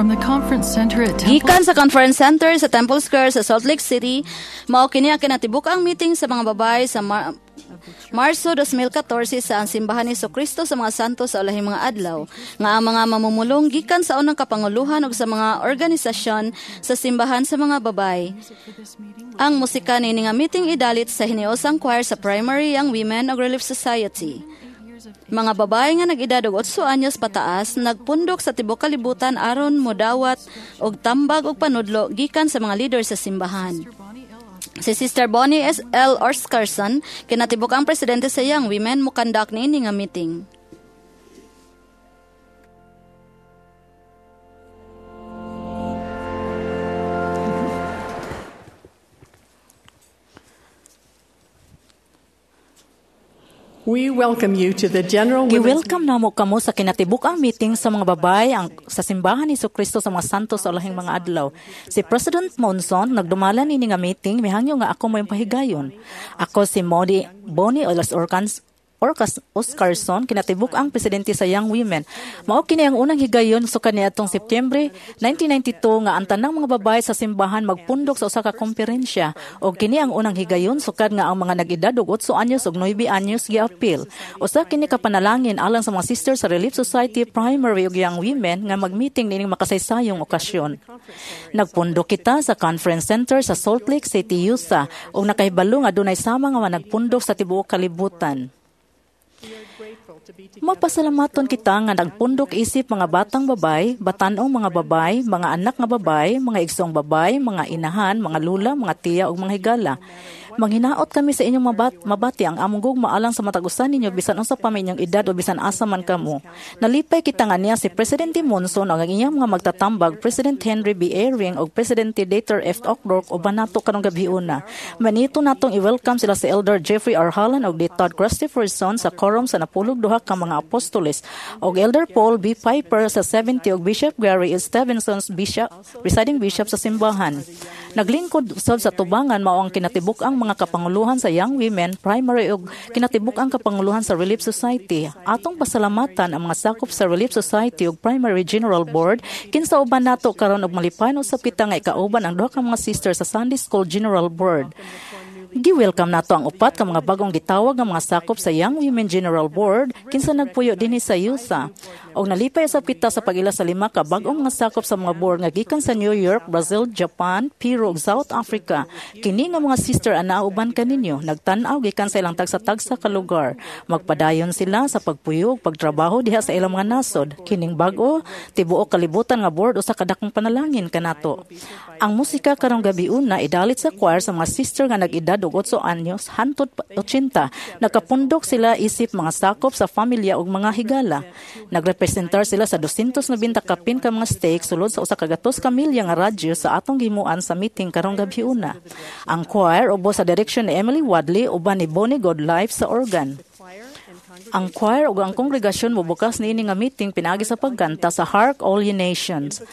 From the conference center at Temple Gikan sa Conference Center sa Temple Square sa Salt Lake City, mao kini ang kinatibuk-ang meeting sa mga babae sa Marso 2014 sa ang Simbahan ni Kristo sa mga Santo sa Ulahing mga Adlaw, nga ang mga mamumulong gikan sa unang kapanguluhan ug sa mga organisasyon sa simbahan sa mga babae. Ang musika niini nga meeting idalit sa hiniusang choir sa Primary Young Women ug Relief Society. Mga babae nga nag-edad og 8 anyos pataas nagpundok sa tibuok kalibutan aron modawat og tambag og panudlo gikan sa mga leader sa simbahan. Si Sister Bonnie S. L. Oscarson, kinatibuk ang presidente sa Young Women, mo-conduct niini nga meeting. We welcome you to the General Women's Gi-welcome namo kamo sa kinatibuk-ang meeting sa mga babae ang sa Simbahan ni Kristo sa mga Santo sa Ulahing mga Adlaw. Si President Monson nagdumala niini nga meeting, mihangyo nga ako mo'y pahigayon. Ako si Modi Bonnie Olas Orcans Orcas Oscarson, kinatibuk ang presidente sa Young Women. Mao kini ang unang higayon sukad niadtong Septyembre 1992 nga ang tanang mga babae sa simbahan magpundok sa usa ka komperensya, og kini ang unang higayon sukad nga ang mga nag-edad og 8 anyos ug 9 anyos giapil. Usa kini ka panalangin alang sa mga sisters sa Relief Society Primary ug Young Women nga magmeeting niining makasaysayong okasyon. Nagpundok kita sa Conference Center sa Salt Lake City, Utah, ug nakahibalo nga dunay sama nga nagpundok sa tibuok kalibutan. Mapasalamaton kita nga nagpundok isip mga batang babay, batan-ong mga babay, mga anak nga babay, mga igsoong babay, mga inahan, mga lula, mga tiya ug mga higala. Manghinaot kami sa inyong mabati ang among gugma alang sa matag usa ninyo bisan unsa pa may inyong edad o bisan asa man kamo. Nalipay kita nga niya si Presidente Monson ug ang iyang mga magtatambag, President Henry B. Eyring ug Presidente Dieter F. Uchtdorf, uban nato karong gabiuna. Manito natong i-welcome sila si Elder Jeffrey R. Holland ug Todd Christopherson sa quorum sa 92 ka mga apostoles, ug Elder Paul B. Piper sa 70 ug Bishop Gary S. Stevenson's bishop, presiding bishop sa simbahan. Naglingkod usab sa tubangan mao ang kinatibuk-ang mga kapanguluhan sa Young Women Primary ug kinatibuk-ang kapanguluhan sa Relief Society. Atong pasalamatan ang mga sakop sa Relief Society ug Primary General Board kinsa uban nato karon, ug malipayon usab kita nga ikauban ang duha ka mga sisters sa Sunday School General Board. Gi-welcome nato ang upat ka mga bagong gitawag nga mga sakop sa Young Women General Board kinsa nagpuyo dinhi sa Utah. Og nalipay usab kita sa pag-ila sa 5 ka bag-ong mga sakop sa mga board nga gikan sa New York, Brazil, Japan, Peru ug South Africa. Kini nga mga sister ang nauban kaninyo, nagtan-aw gikan sa ilang tagsa-tagsa ka lugar. Magpadayon sila sa pagpuyo ug pagtrabaho diha sa ilang mga nasod. Kining bag-o tibuok kalibutan nga board usa ka dakong panalangin kanato. Ang musika karong gabiuna idalit sa choir sa mga sister nga nag-edad og 8 anyos hantod 80. Nakapundok sila isip mga sakop sa pamilya ug mga higala. Nagrepresentar sila sa 290 kapin ka mga stake sulod sa usa ka gatos ka milya nga radyo sa atong gimuan sa meeting karong gabiuna. Ang choir ubos sa direksyon ni Emily Wadley uban ni Bonnie Godlife sa organ. Ang choir ug ang kongregasyon mobukas niini nga meeting pinaagi sa pagkanta sa Hark All Ye Nations.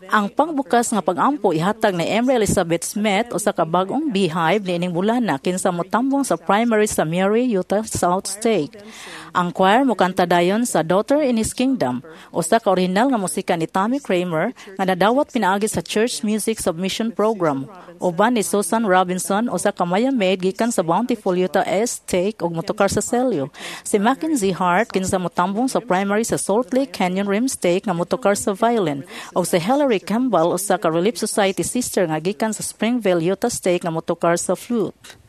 Ang pangbukas nga pag-ampo ihatag ni Emry Elizabeth Smith, usa ka bag-ong beehive niining bulana kinsa motambong sa Primary sa Mary, Utah South Stake. Ang choir mokanta dayon sa Daughter in His Kingdom, usa ka orihinal nga musika ni Tommy Kramer nga nadawat pinaagi sa Church Music Submission Program. Uban ni Susan Robinson, usa ka maya maid gikan sa Bountiful, Utah S Stake ug motokar sa selyo. Si Mackenzie Hart kinsa motambong sa Primary sa Salt Lake Canyon Rim Stake nga motokar sa violin, ug si Hillary Campbell, usa ka Relief Society sister nga gikan sa Springville, Utah Stake nga motokar sa flute.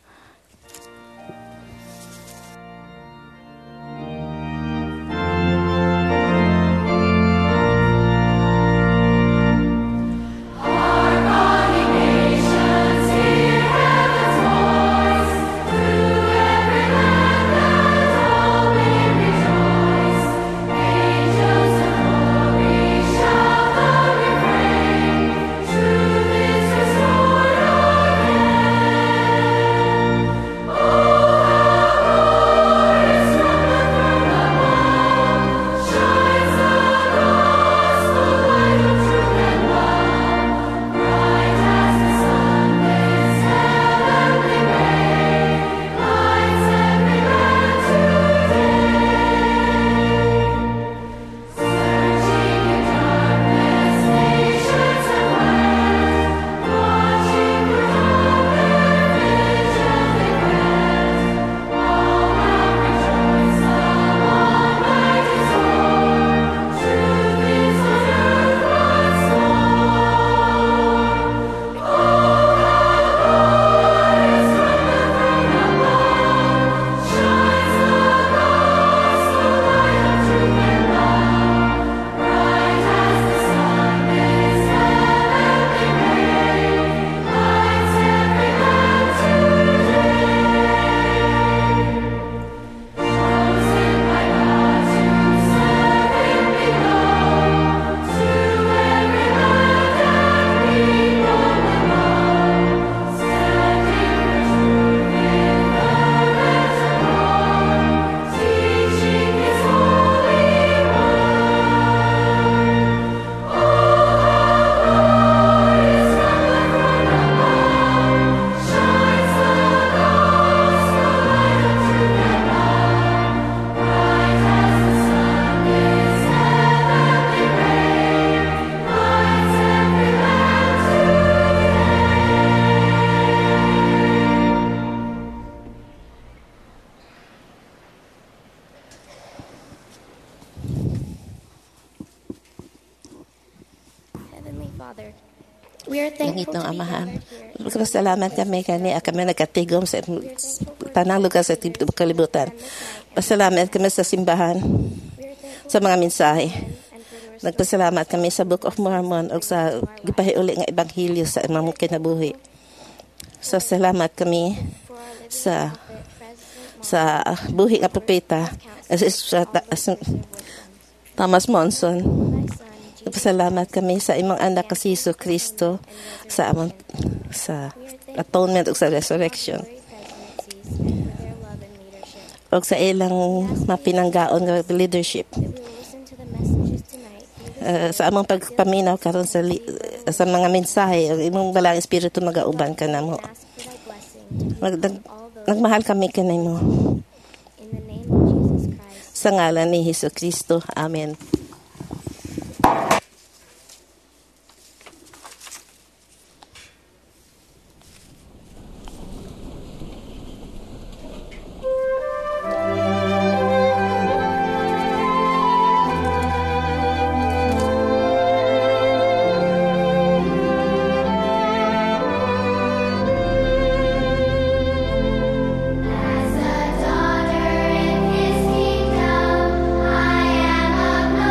Truth is restored again. Father. We are thankful Langitnong to be Amahan. gathered here. Salamat kami kani kami nagkatigom sa tanang lugar sa tibuok kalibutan. Pasalamat kami sa simbahan, We are thankful sa mga mensahe. and for the Nagpasalamat kami sa Book of Mormon o sa gipahiuli nga ebanghelyo sa among kinabuhi. So salamat kami for our living sa prophet, President sa buhi nga propeta sa Thomas Monson. Thy Son, Jesus Nagpasalamat kami sa imong anak ka si Hesus Kristo sa among sa atonement ug sa resurrection honorary presidencies and for their love and leadership. ug sa ilang mapinanggaon nga leadership. That we will listen to the messages tonight through the Sa among pagpaminaw karon sa mga mensahe ang imong Balaang Espiritu magauban kanamo. ask for thy blessing to be with all those Nagmahal kami kanimo in the name of Jesus Christ. Sa ngalan ni Hesus Kristo. Amen. As a daughter in his kingdom, I am of no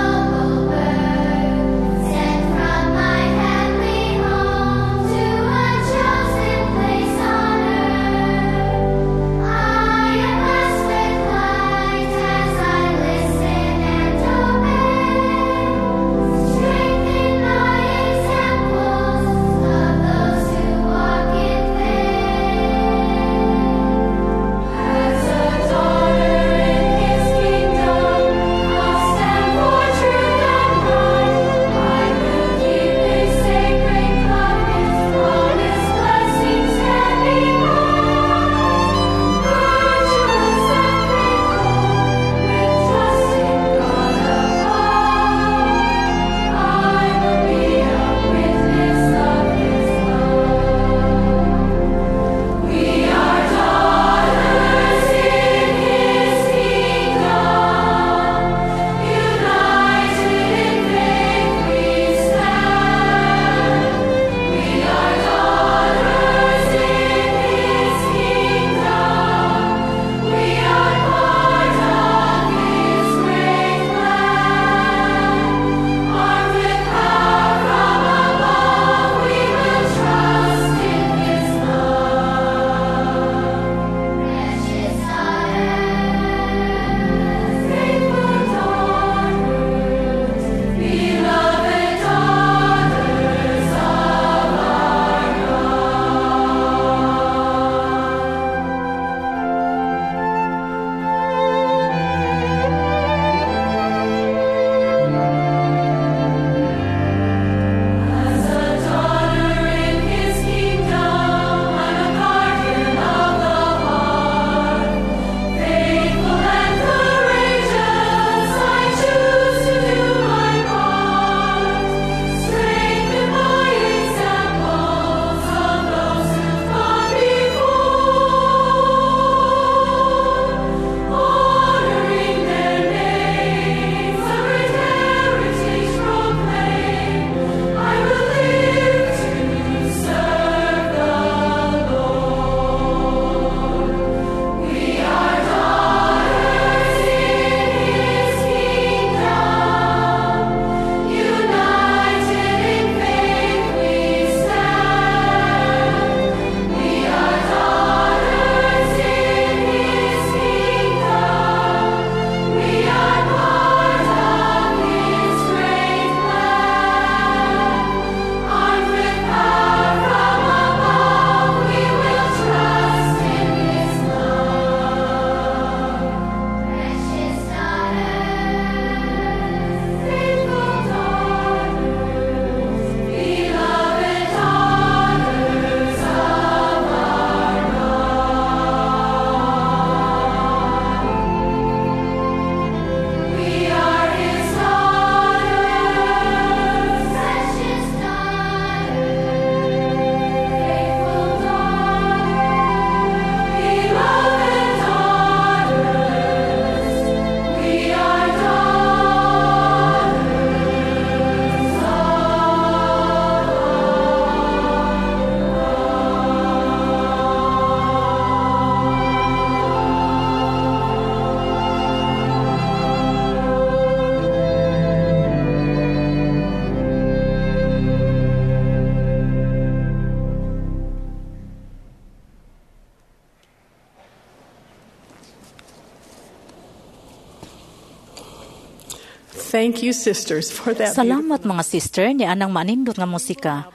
Thank you, sisters, for that. Salamat mga sister ni anang manindot nga musika.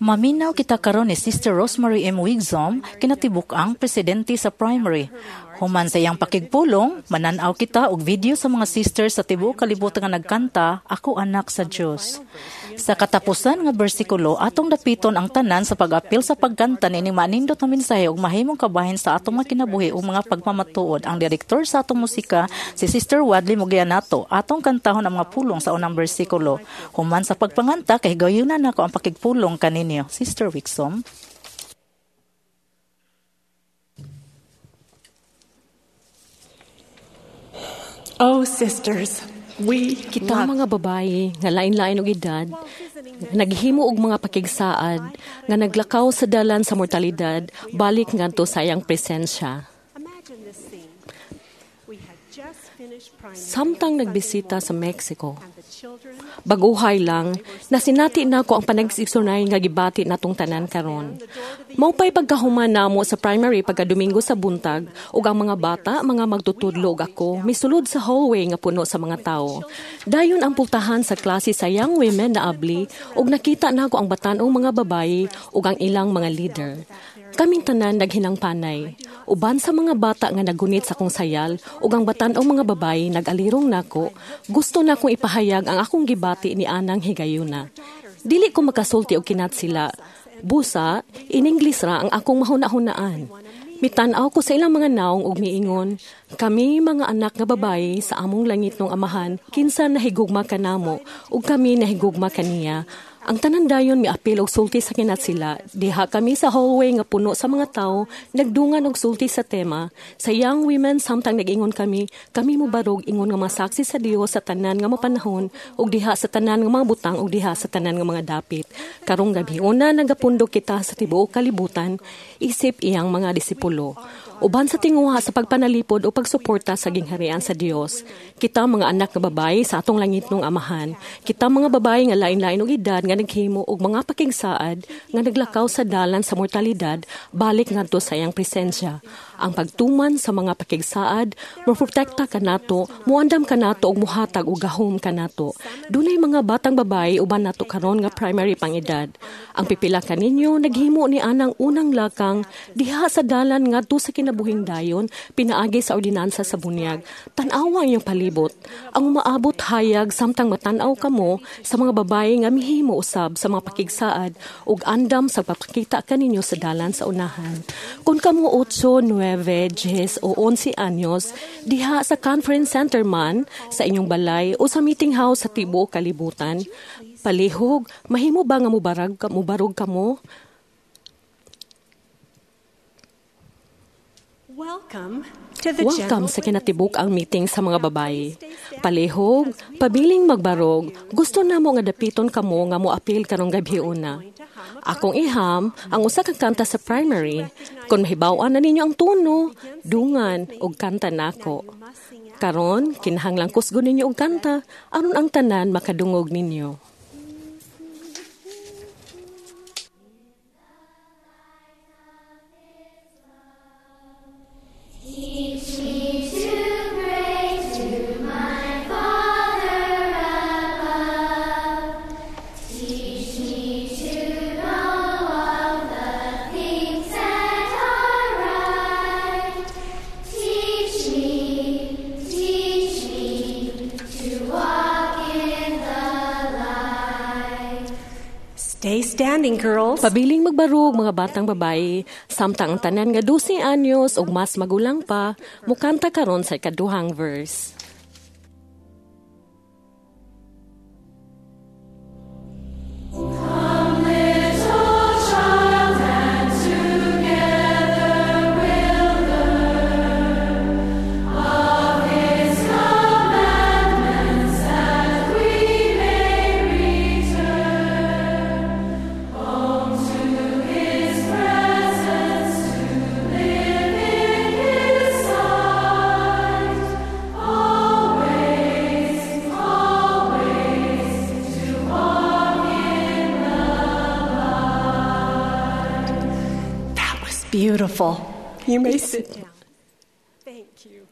Maminaw kita karon ni Sister Rosemary M. Wigsom, kinatibuk ang presidente sa primary. Human sa iyang pakigpulong, mananaw kita og video sa mga sisters sa tibuok kalibutan nga nagkanta, Ako Anak sa Dios. Sa katapusan nga bersikulo, atong dapiton ang tanan sa pag-apil sa pagkanta nining manindot nga mensahe ug mahimong kabahin sa atong mga kinabuhi ug mga pagpamatuod. Ang direktor sa atong musika, si Sister Wadley Mugia nato, atong kantahon ang mga pulong sa unang bersikulo. Human sa pagpanganta, kay gayunan nako ang pakigpulong kaninyo. Sister Wixom. Oh, sisters, we Kita love mga babayi nga lain-lain og edad, naghimo og mga pakigsaad nga naglakaw sa dalan sa mortalidad balik ngadto sa iyang presensya. Imagine this scene. We had just finished primary Samtang nagbisita sa Mexico, and the children baguhay lang, nasinati nako ang panagsigsunay nga gibati natong tanan karon. Maupay pagkahuman namo sa primary pagka Domingo sa buntag ug ang mga bata, mga magtutudlo ug ako misulod sa hallway nga puno sa mga tawo. Dayon ang pultahan sa klase sa young women na abli ug nakita nako ang batan-ong mga babayi ug ang ilang mga leader. Kaming tanan naghinangpanay. Uban sa mga bata nga nagunit sa akong sayal ug ang batan-ong mga babayi nag-alirong nako, gusto na akong ipahayag ang akong gibati ni anang higayuna. Dili ko makasulti og kinat sila. Busa, in English ra ang akong mahuna-hunaan. Mitan-aw ko sa ilang mga naong ug miingon, kami mga anak nga babayi sa among langit nung amahan, kinsa nahigugma kanamo ug kami nahigugma kaniya. Ang tanan dayon miapil og sulti sa kinat sila. Diha kami sa hallway nga puno sa mga tawo, nagdungan og sulti sa tema. Sa young women samtang nag-ingon kami, kami mobarog ingon nga mga saksi sa Dios sa tanan nga mapanahon ug diha sa tanan nga mga butang ug diha sa tanan nga mga dapit. Karong gabi una nagapundok kita sa tibuok kalibutan isip iyang mga disipulo. Uban sa tinguha sa pagpanalipod o pagsuporta sa gingharian sa Dios. Kita mga anak nga babayi sa atong langitnong amahan. Kita mga babayi nga lain-lain og edad nga naghimo og mga pakigsaad nga naglakaw sa dalan sa mortalidad balik ngadto sa iyang presensya. Ang pagtuman sa mga pakigsaad moprotekta kanato, muandam kanato ug muhatag og gahom kanato. Dunay mga batang babayi uban nato karon nga primary pang edad. Ang pipila kaninyo naghimo ni anang unang lakang diha sa dalan ngadto sa kinabuhing dayon pinaagi sa ordinansa sa bunyag. Tan-awa ang iyong palibot. Ang umaabot hayag samtang matan-aw kamo sa mga babayi nga mihimo usab sa mga pakigsaad ug andam sa pagpakita kaninyo sa dalan sa unahan. Kung kamo 8, 9, 10 o 11 anyos diha sa conference center man sa inyong balay o sa meeting house sa tibuok kalibutan, palihog mahimo ba nga mubarog kamo? Welcome to the Welcome General sa kinatibuk ang meeting sa mga babayi. Palihog, pabiling magbarog, gusto namo nga dapiton kamo nga moapil karong gabi una. Akong iham ang usa ka kanta sa primary. Kon mahibaw-an na ninyo ang tono, dungan og kanta nako. Karon kinahanglang kusgon ninyo og kanta aron ang tanan makadungog ninyo. Teach me to pray to my Father above. Teach me to know all the things that are right. Teach me to walk in the light. Stay standing, girls. Pabiling magbarog mga batang babayi, samtang ang tanan nga 12 anyos ug mas magulang pa, mukanta karon sa ikaduhang verse. Come, little child, and together we'll learn of His commandments that we may return home to His presence to live in His sight always, always to walk in the light. That was beautiful. You may sit down. Thank you.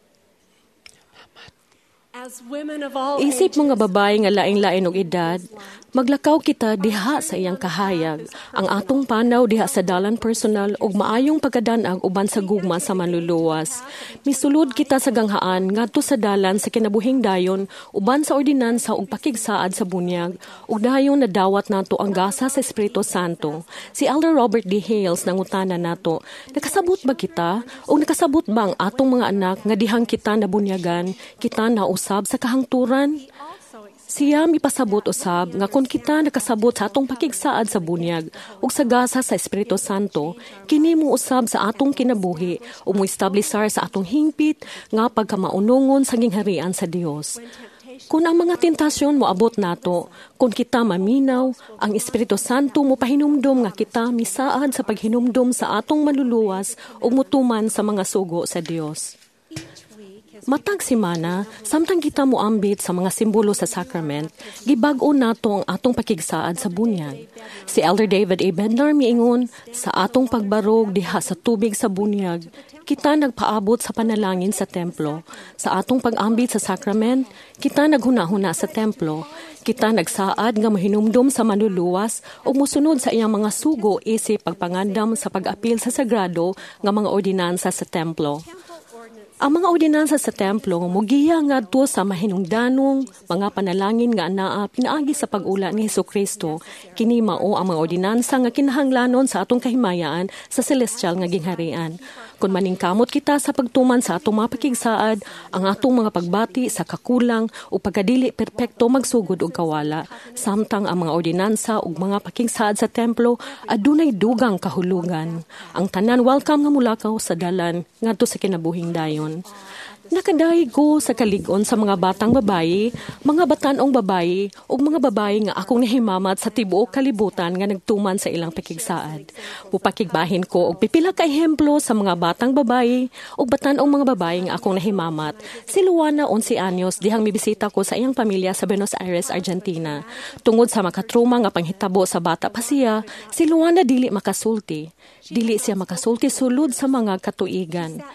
As women of all Isip mga babae nga laing-lain og edad, maglakaw kita diha sa iyang kahayag, ang atong panaw diha sa dalan personal ug maayong pagkadanag uban sa gugma sa manluluwas. Misulod kita sa ganghaan ngadto sa dalan sa kinabuhing dayon uban sa ordinansa ug pakigsaad sa bunyag ug dayon nadawat nato ang gasa sa Espiritu Santo. Si Elder Robert D. Hales nangutana nato, nakasabot ba kita o nakasabot ba ang atong mga anak nga dihang kita nabunyagan, kita nausab sa kahangturan? Siya mipasabot usab nga kung kita nakasabot sa atong pakigsaad sa bunyag ug sa gasa sa Espiritu Santo, kini mo usab sa atong kinabuhi ug moestablisar sa atong hingpit nga pagkamaunongon sa gingharian sa Dios. Kung ang mga tentasyon moabot nato, kung kita maminaw, ang Espiritu Santo mo pahinumdom nga kita misaad sa paghinumdom sa atong manluluwas ug mutuman sa mga sugo sa Dios. Matag simana, samtang kita moambit sa mga simbolo sa sacrament, gibag-o nato ang atong pakigsaad sa bunyag. Si Elder David A. Bednar miingon, sa atong pagbarog diha sa tubig sa bunyag, kita nagpaabot sa panalangin sa templo. Sa atong pag-ambit sa sacrament, kita naghuna-huna sa templo. Kita nagsaad nga mahinumdom sa manluluwas ug mosunod sa iyang mga sugo isip pagpangandam sa pag-apil sa sagrado nga mga ordinansa sa templo. Ang mga ordinansa sa templo mugiya ngadto sa mahinungdanong mga panalangin nga anaa pinaagi sa pag-ula ni Hesukristo. Kini mao ang mga ordinansa nga kinahanglanon sa atong kahimayaan sa celestial nga gingharian. Kung maningkamot kita sa pagtuman sa atong mga pakigsaad, ang atong mga pagbati sa kakulang o pagkadili perpekto magsugod og kawala. Samtang ang mga ordinansa ug mga pakigsaad sa templo adunay dugang kahulugan. Ang tanan welcome nga mulakaw sa dalan ngadto sa kinabuhing dayon. Nakadayeg ko sa kalig-on sa mga batang babayi, mga batanong babayi, ug mga babayi nga akong nahimamat sa tibuok kalibutan nga nagtuman sa ilang pakigsaad. Mupakigbahin ko og pipila ka ehemplo sa mga batang babayi ug batanong mga babayi nga akong nahimamat. Si Luana, 11 anyos, dihang mibisita ko sa iyang pamilya sa Buenos Aires, Argentina. Tungod sa makatruma nga panghitabo sa bata pa siya, si Luana dili makasulti. Dili siya makasulti sulod sa mga katuigan.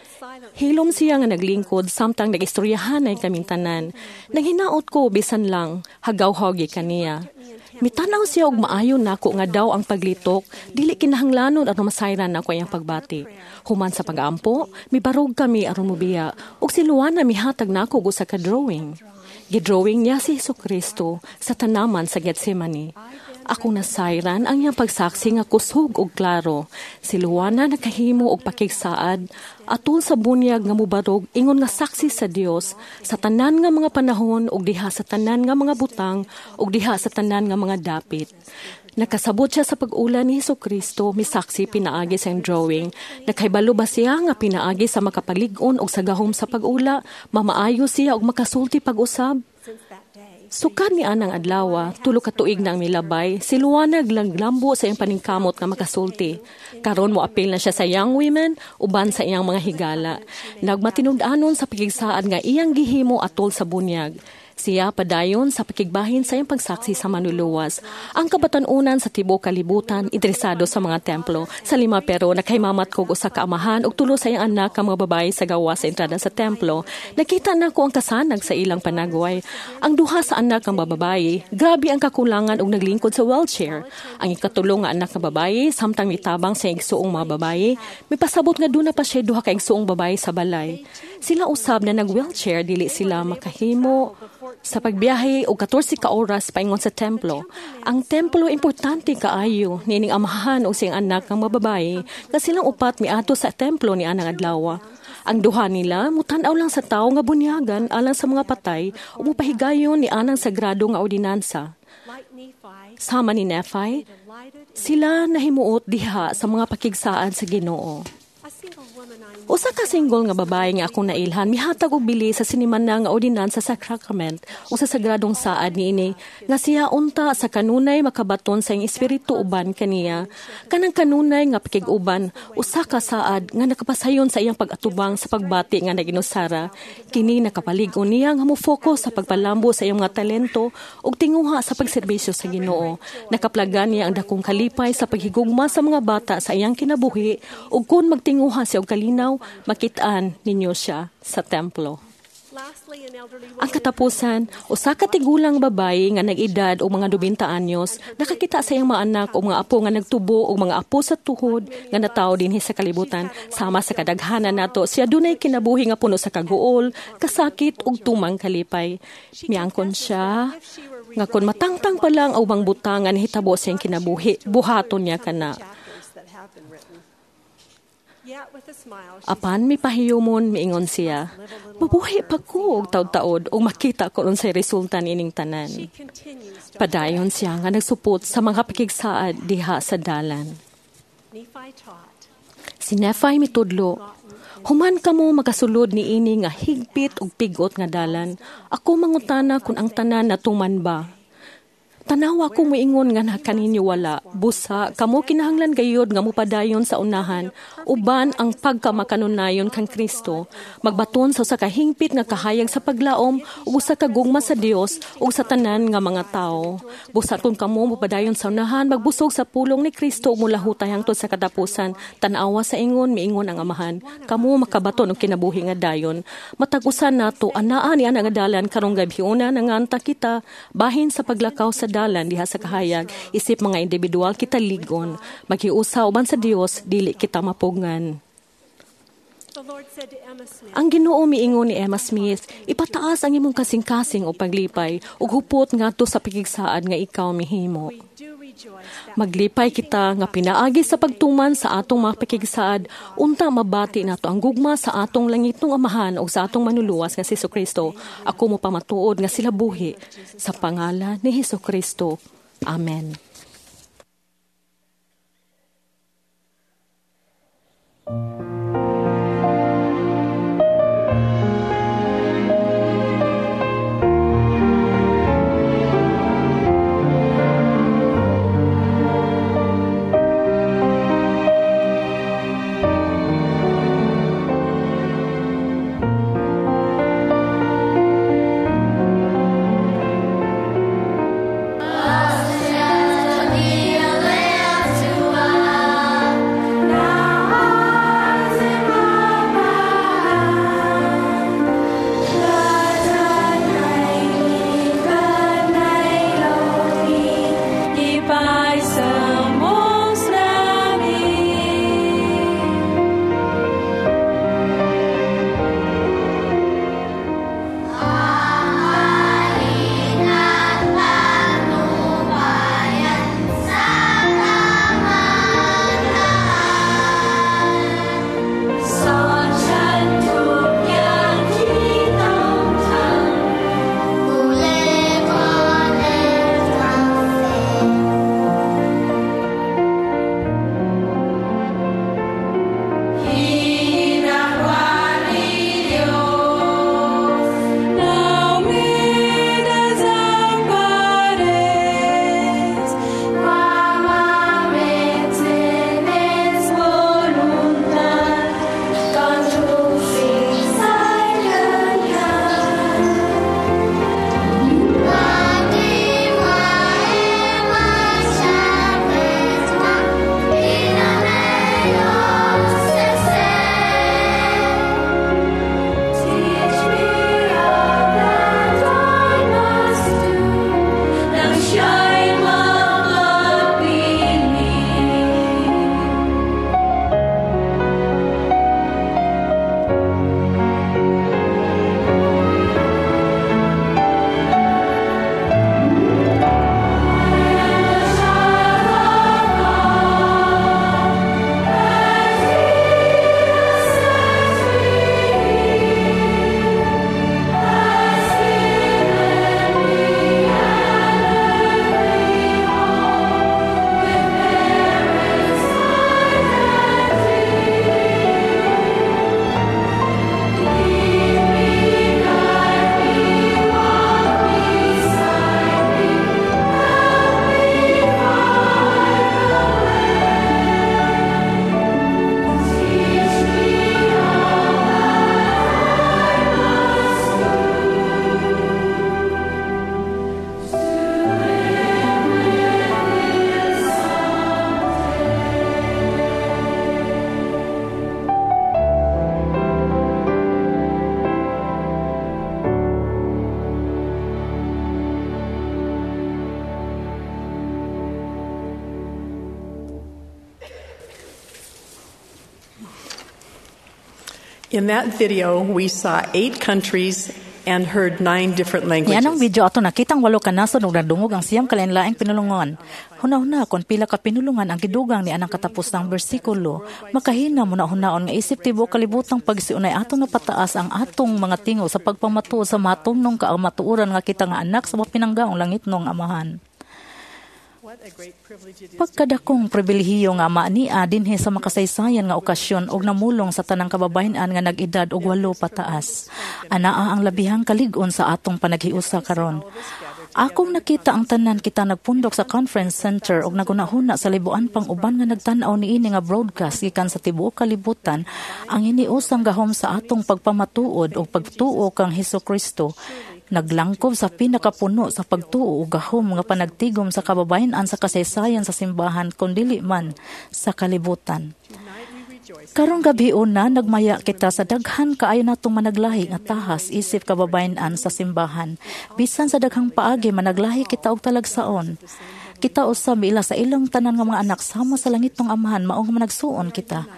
Hilom siya nga naglingkod samtang nagistoryahanay kaming tanan. Naghinaot ko bisan lang hagaw-hawgi kaniya. Mitanaw siya og maayo nako nga daw ang paglitok, dili kinahanglanon aron masayran nako iyang pagbati. Human sa pag-ampo, mibarog kami aron mobiya ug si Luana mihatag nako og usa ka drawing. Gidrawing niya si Hesukristo sa tanaman sa Getsemane. Akong nasayran ang iyang pagsaksi nga kusog og klaro. Si Luana nakahimo og pakigsaad atol sa bunyag nga mubarog ingon nga saksi sa Dios sa tanan nga mga panahon ug diha sa tanan nga mga butang ug diha sa tanan nga mga dapit. Nakasabot siya sa pag-ula ni Hesukristo, misaksi pinaagi sa iyang drawing. Nakahibalo ba siya nga pinaagi sa makapalig-on og sa gahom sa pag-ula, mamaayo siya og makasulti pag-usab? Sukad ni anang adlawa, 3 ka tuig na ang milabay, si Luana glanglambo sa iyang paningkamot nga makasulti. Karon mo apil na siya sa young women uban sa iyang mga higala. Nagmatinud-anon sa pakigsaad nga iyang gihimo atol sa bunyag. Siya padayon sa pakigbahin sa iyang pagsaksi sa manluluwas. Ang kabatan-unan sa tibuok kalibutan interesado sa mga templo. Sa Lima pero nakahimamat kog usa ka amahan og tulo sa iyang anak ang mga babae sa gawas sa entrada sa templo. Nakita nako ang kasanag sa ilang panagway. Ang duha sa anak ang babae, grabe ang kakulangan og naglingkod sa wheelchair. Ang ikatulo nga anak nga babae samtang mitabang sa igsuong mga babae, mipasabot nga duna pa siya duha ka igsuong babae sa balay. Sila usab na nag-wheelchair, dili sila makahimo sa pagbiyahe og 14 ka oras paingon sa templo. Ang templo importante kaayo niining amahan og siyang anak nga mga babae nga silang upat miadto sa templo ni anang adlaw. Ang duha nila mutan-aw lang sa tawo nga bunyagan alang sa mga patay ug mopahigayon ni anang sagrado nga ordinansa. Sama ni Nephi, sila nahimuot diha sa mga pakigsaad sa Ginoo. Usa ka single nga babae nga akong nailhan mihatag og bili sa sinimana nga ordinansa sa sacrament o sa sagradong saad niini nga siya unta sa kanunay makabaton sa iyang espiritu uban kaniya kanang kanunay nga pakig-uban usa ka saad nga nakapasayon sa iyang pag-atubang sa pagbati nga naginusara. Kini nakapalig-on niya nga mo-focus sa pagpalambo sa iyang mga talento ug tinguha sa pagserbisyo sa Ginoo. Nakaplagan niya ang dakong kalipay sa paghigugma sa mga bata sa iyang kinabuhi ug kun magtinguha siya og kalinaw, makitaan ninyo siya sa templo. Ang katapusan, usa ka tigulang babayi nga nag-edad og mga 90 anyos, nakakita sa iyang mga anak o mga apo nga nagtubo og mga apo sa tuhod nga natawo dinhi sa kalibutan. Sama sa kadaghanan nato, siya dunay kinabuhi nga puno sa kaguol, kasakit ug tumang kalipay. Miangkon siya nga kon matangtang pa lang ang ubang butang nga nahitabo sa iyang kinabuhi, buhaton niya kana. Apan mipahiyumon miingon siya, mabuhi pa ko og taod-taod ug makita ko unsay resulta niining tanan. Padayon siya nga nagsupot sa mga pakigsaad diha sa dalan. Si Nephi mitudlo, human kamo makasulod niini nga higpit ug pigot nga dalan. Ako mangutana kung ang tanan natuman ba. Tanawa ko moingon nga na kaninyo wala. Busa, kamo kinahanglan gayod nga mopadayon sa unahan, uban ang pagkamakanunayon kang Kristo. Magbaton sa usa ka hingpit nga kahayag sa paglaom ug usa ka gugma sa Dios ug sa tanan nga mga tawo. Busa kung kamo mopadayon sa unahan, magbusog sa pulong ni Kristo ug molahutay hangtod sa katapusan. Tan-awa sa ingon, miingon ang Amahan. Kamo makabaton og kinabuhi nga dayon. Matag usa nato anaa ni ana nga dalan karong gabhiona nanganta kita bahin sa paglakaw sa dalan diha sa kahayag, isip mga individual kita ligon, maghiusa uban sa Dios, dili kita mapugngan. Ang Ginoo miingon ni Emma Smith, ipataas ang imong kasing-kasing o paglipay ug hupot ngadto sa pakigsaad nga ikaw mihimo. Maglipay kita nga pinaagi sa pagtuman sa atong mga pakigsaad unta mabati nato ang gugma sa atong langitnong Amahan ug sa atong manluluwas nga si Hesukristo. Ako mo pamatuod nga sila buhi sa pangalan ni Hesukristo. Amen. Be a lamp to us. Now In that video, we saw eight countries and heard nine different Nianang languages. Video ato nakitang walo ka nasod ug nadungog ang 9 ka lain-laing pinulungon. Hunahuna kon pila ka pinulungan ang gidugang ni anang katapusang bersikulo. Makahina mo na hunaon nga isip tibuok kalibutang pagsiunay atong napataas ang atong mga tingog sa pagpamatuod sa matumnong kaamatuoran nga kita nga anak sa mapinanggaong langitnong Amahan. What a great privilege it is. Pagkadakong pribilehiyo nga maania dinhi sa makasaysayan nga okasyon og namulong sa tanang kababayen-an nga nag-edad og 8 pataas. Anaa ang labihang kalig-on sa atong panaghiusa karon. Akong nakita ang tanan kita nagpundok sa conference center og nagunahuna sa libuan pang uban nga nagtan-aw niini nga broadcast gikan sa tibuok kalibutan, ang hiniusang gahom sa atong pagpamatuod og pagtuo kang Hesus Kristo naglangkob sa pinakapuno sa pagtuo ug gahom nga panagtigom sa kababayen-an sa kasaysayan sa simbahan kon dili man sa kalibutan. Tonight we rejoice. Karong gabi una, nagmaya kita sa daghan kaayo natong managlahi nga tahas isip kababayen-an sa simbahan. Bisan sa daghang paagi, managlahi kita og talagsaon. Kita usa miila sa ilang tanan nga mga anak sama sa langitnong Amahan, mao nga managsuon kita.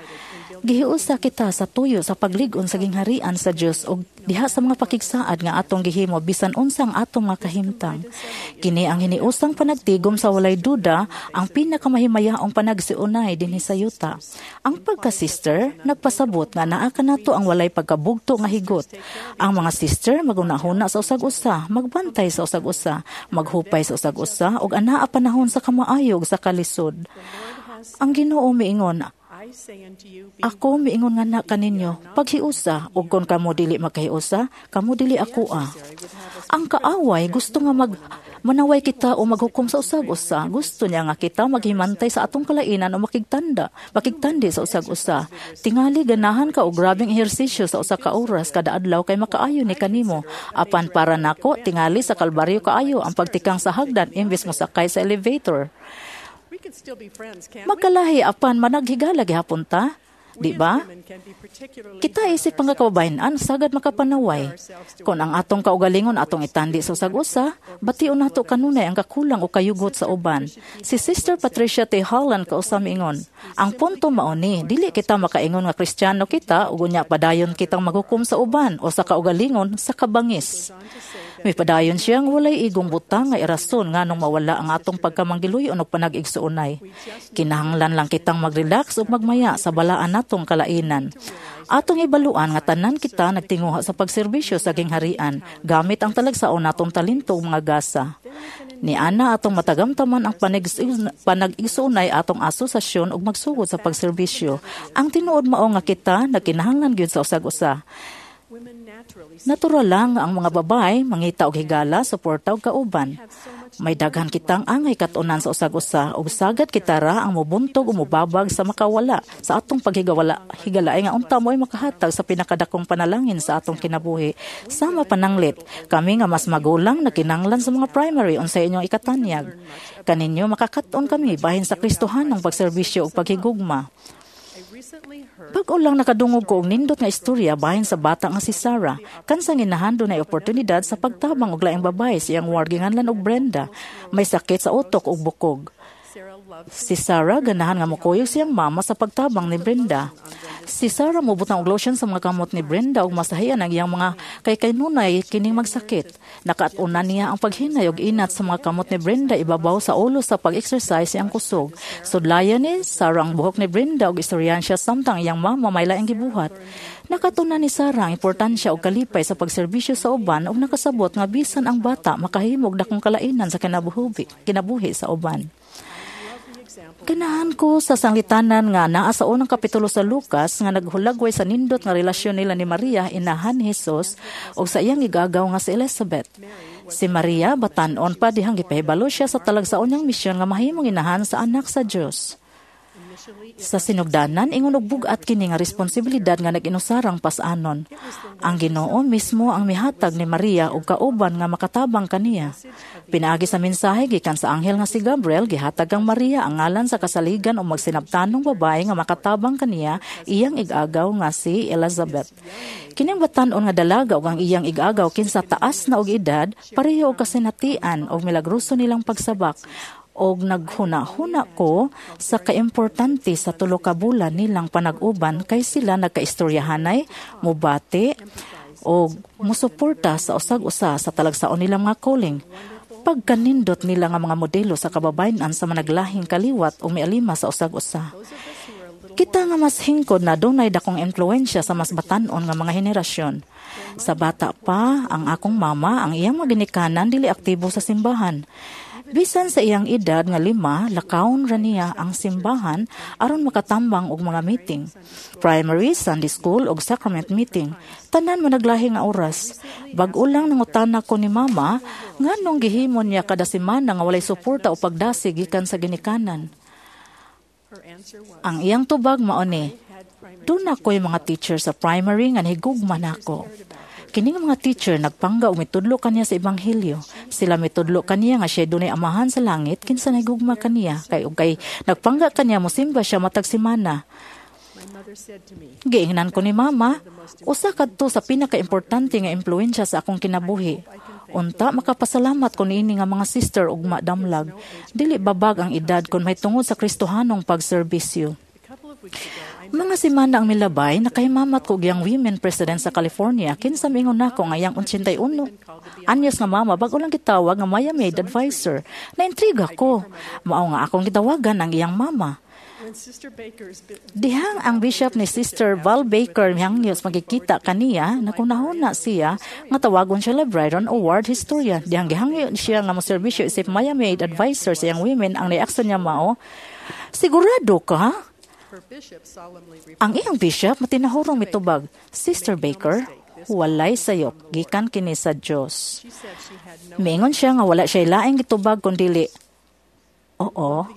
Gihiusa kita sa tuyo sa paglig-on sa gingharian sa Dios ug diha sa mga pakigsaad nga atong gihimo bisan unsa ang atong mga kahimtang. Kini ang hiniusang panagtigom sa walay duda ang pinakamahimayaong panagsiunay dinhi sa yuta. Ang pagka-sister nagpasabot nga naa kanato ang walay pagkabugto nga higot. Ang mga sister magunahuna sa usag-usa, magbantay sa usag-usa, maghupay sa usag-usa ug anaa panahon sa kamaayog sa kalisod. Ang Ginoo miingon, I say unto you, be "Ako miingon nga na kaninyo, paghiusa, ug kon kamo dili magkahiusa, kamo dili akoa." Ang kaaway gusto nga mag manaway kita o maghukom sa usag-usa. Gusto niya nga kita maghimantay sa atong kalainan o makigtandi sa usag-usa. Tingali ganahan ka og grabeng ehersisyo sa 1 ka oras kada adlaw kay makaayo ni kanimo. Apan para nako, tingali sa Kalbaryo kaayo ang pagtikang sa hagdan imbes mo sakay sa elevator. We can still be friends, can't we? Magkalahi apan managhigala gihapon ta, di ba? Women can be particularly Kita isip mga kababayen-an sagad makapanaway. Kung ang atong kaugalingon atong itandi sa usag-usa, bation nato kanunay ang kakulang o kayugot sa uban. Si Sister Patricia T. Holland kausa miingon, "Ang punto mao ni, dili kita makaingon nga Kristiyano kita ug unya padayon kitang maghukom sa uban o sa kaugalingon sa kabangis." Mipadayon siya nga walay igong butang nga irason nganong mawala ang atong pagkamanggiluyon og panag-igsuonay. Kinahanglan lang kitang magrelax ug magmaya sa balaan natong kalainan. Atong ibaluan nga tanan kita nagtinguha sa pagserbisyo sa gingharian gamit ang talagsaon natong talento ug mga gasa. Ni ana atong matagamtaman ang panag-igsuonay atong asosasyon ug magsugod sa pagserbisyo. Ang tinuod mao nga kita nagkinahanglan gyud sa usag-usa. Women naturally Natural lang ang mga babae mangita og higala, suporta og kauban. May daghan kitang angay kat-unan sa usag-usa ug sagad kita ra ang mobuntog o mobabag sa makawala sa atong paghigawala higalaay nga unta mo'y makahatag sa pinakadakong panalangin sa atong kinabuhi. Sama pananglit, kami nga mas magulang nakinanglan sa mga primary unsay inyong ikatanyag. Kaninyo makakat-on kami bahin sa Kristohanong pagserbisyo ug paghigugma. I recently heard Bag-o lang nakadungog ko og nindot nga istorya bahin sa bata nga si Sarah. Kansang inahan dunay oportunidad sa pagtabang og laing babae sa iyang ward ginganlan og Brenda. May sakit sa utok ug bukog. Sarah loved Si Sarah ganahan nga mokuyog siyang mama sa pagtabang ni Brenda. Si Sarah mobutang og lotion sa mga kamot ni Brenda ug masahian ang iyang mga kay kanunay kining magsakit. Nakaat-unan niya ang paghinay og inat sa mga kamot ni Brenda ibabaw sa ulo sa pag-exercise iyang kusog. Sudlayan ni Sarah ang buhok ni Brenda ug istoryahan siya samtang iyang mama may laing gibuhat. Nakatunan ni Sarah ang importansya og kalipay sa pagserbisyo sa uban ug nakasabot nga bisan ang bata makahimo og dakong kalainan sa kinabuhi sa uban. Ganahan ko sa sanglitanan nga naa sa unang kapitulo sa Lucas nga naghulagway sa nindot nga relasyon nila ni Maria, inahan ni Jesus, ug sa iyang igagaw nga si Elizabeth. Si Maria batan-on pa dihang gipahibalo siya sa talagsaon niyang misyon nga mahimong inahan sa anak sa Dios. Sa sinugdanan, ingon og bug-at kini nga responsibilidad nga nag-inusarang pas-anon. Ang Ginoo mismo ang mihatag ni Maria og kauban nga makatabang kaniya. Pinaagi sa mensahe gikan sa anghel nga si Gabriel, gihatag kang Maria ang ngalan sa kasaligan o magsinabtanong babae nga makatabang kaniya, iyang igagaw nga si Elizabeth. Kining batan-on nga dalaga ug ang iyang igagaw kinsa taas na og edad, pareho og kasinatian og milagroso nilang pagsabak. Og naghuna-huna ko sa kaimportante sa tulo ka bulan nilang panag-uban kay sila nagkaistoryahanay, mubati og musuporta sa usag-usa sa talagsaon nilang mga calling. Pagkanindot nila nga mga modelo sa kababayen-an sa managlahing kaliwat o mialima sa usag-usa. Kita nga mas hingkod na dunay dakong impluwensya sa mas batan-on nga mga henerasyon. Sa bata pa, ang akong mama, ang iyang maginikanan, dili aktibo sa simbahan. Bisan sa iyang edad nga 5, lakawon ra niya ang simbahan aron makatambang og mga meeting. Primary, Sunday school ug sacrament meeting. Tanan managlahi nga oras. Bag-o lang nangutana ko ni mama nganong gihimo niya kada semana nga walay suporta o pagdasig gikan sa ginikanan. Ang iyang tubag mao ni, "Duna ko'y mga teacher sa primary nga nahigugma nako. Kining mga teacher nagpangga og mitudlo kaniya sa ebanghelyo. Sila mitudlo kaniya nga siya dunay amahan sa langit kinsa nahigugma kaniya kay ug kay nagpangga kaniya mosimba siya matag semana." Giingnan ko ni mama, usa kadto sa pinakaimportante nga impluwensya sa akong kinabuhi. Unta makapasalamat ko niini nga mga sister ug madamlag. Dili babag ang edad kon mahitungod sa Kristohanong pagserbisyo. Mga semana ang milabay, nakahimamat ko og iyang women president sa California. Kinsa mingon nako nga iyang 81 anyos nga mama bag-o lang gitawag nga Maya Maid advisor. Naintriga ko. Mao nga akong gitawagan ang iyang mama. Dihang ang bishop ni Sister Val Baker mihangyos magkikita kaniya, nakunahuna siya nga tawagon siya librarian o ward historian. Dihang gihangyo siya nga moserbisyo isip Maya Maid advisor sa iyang women, ang reaksyon niya mao, "Sigurado ka?" Ang iyang bishop matinahurong mitubag, "Sister Baker, walay sayop, gikan kini sa Dios." Miingon siya nga wala siya laing gitubag kundili, "Oo."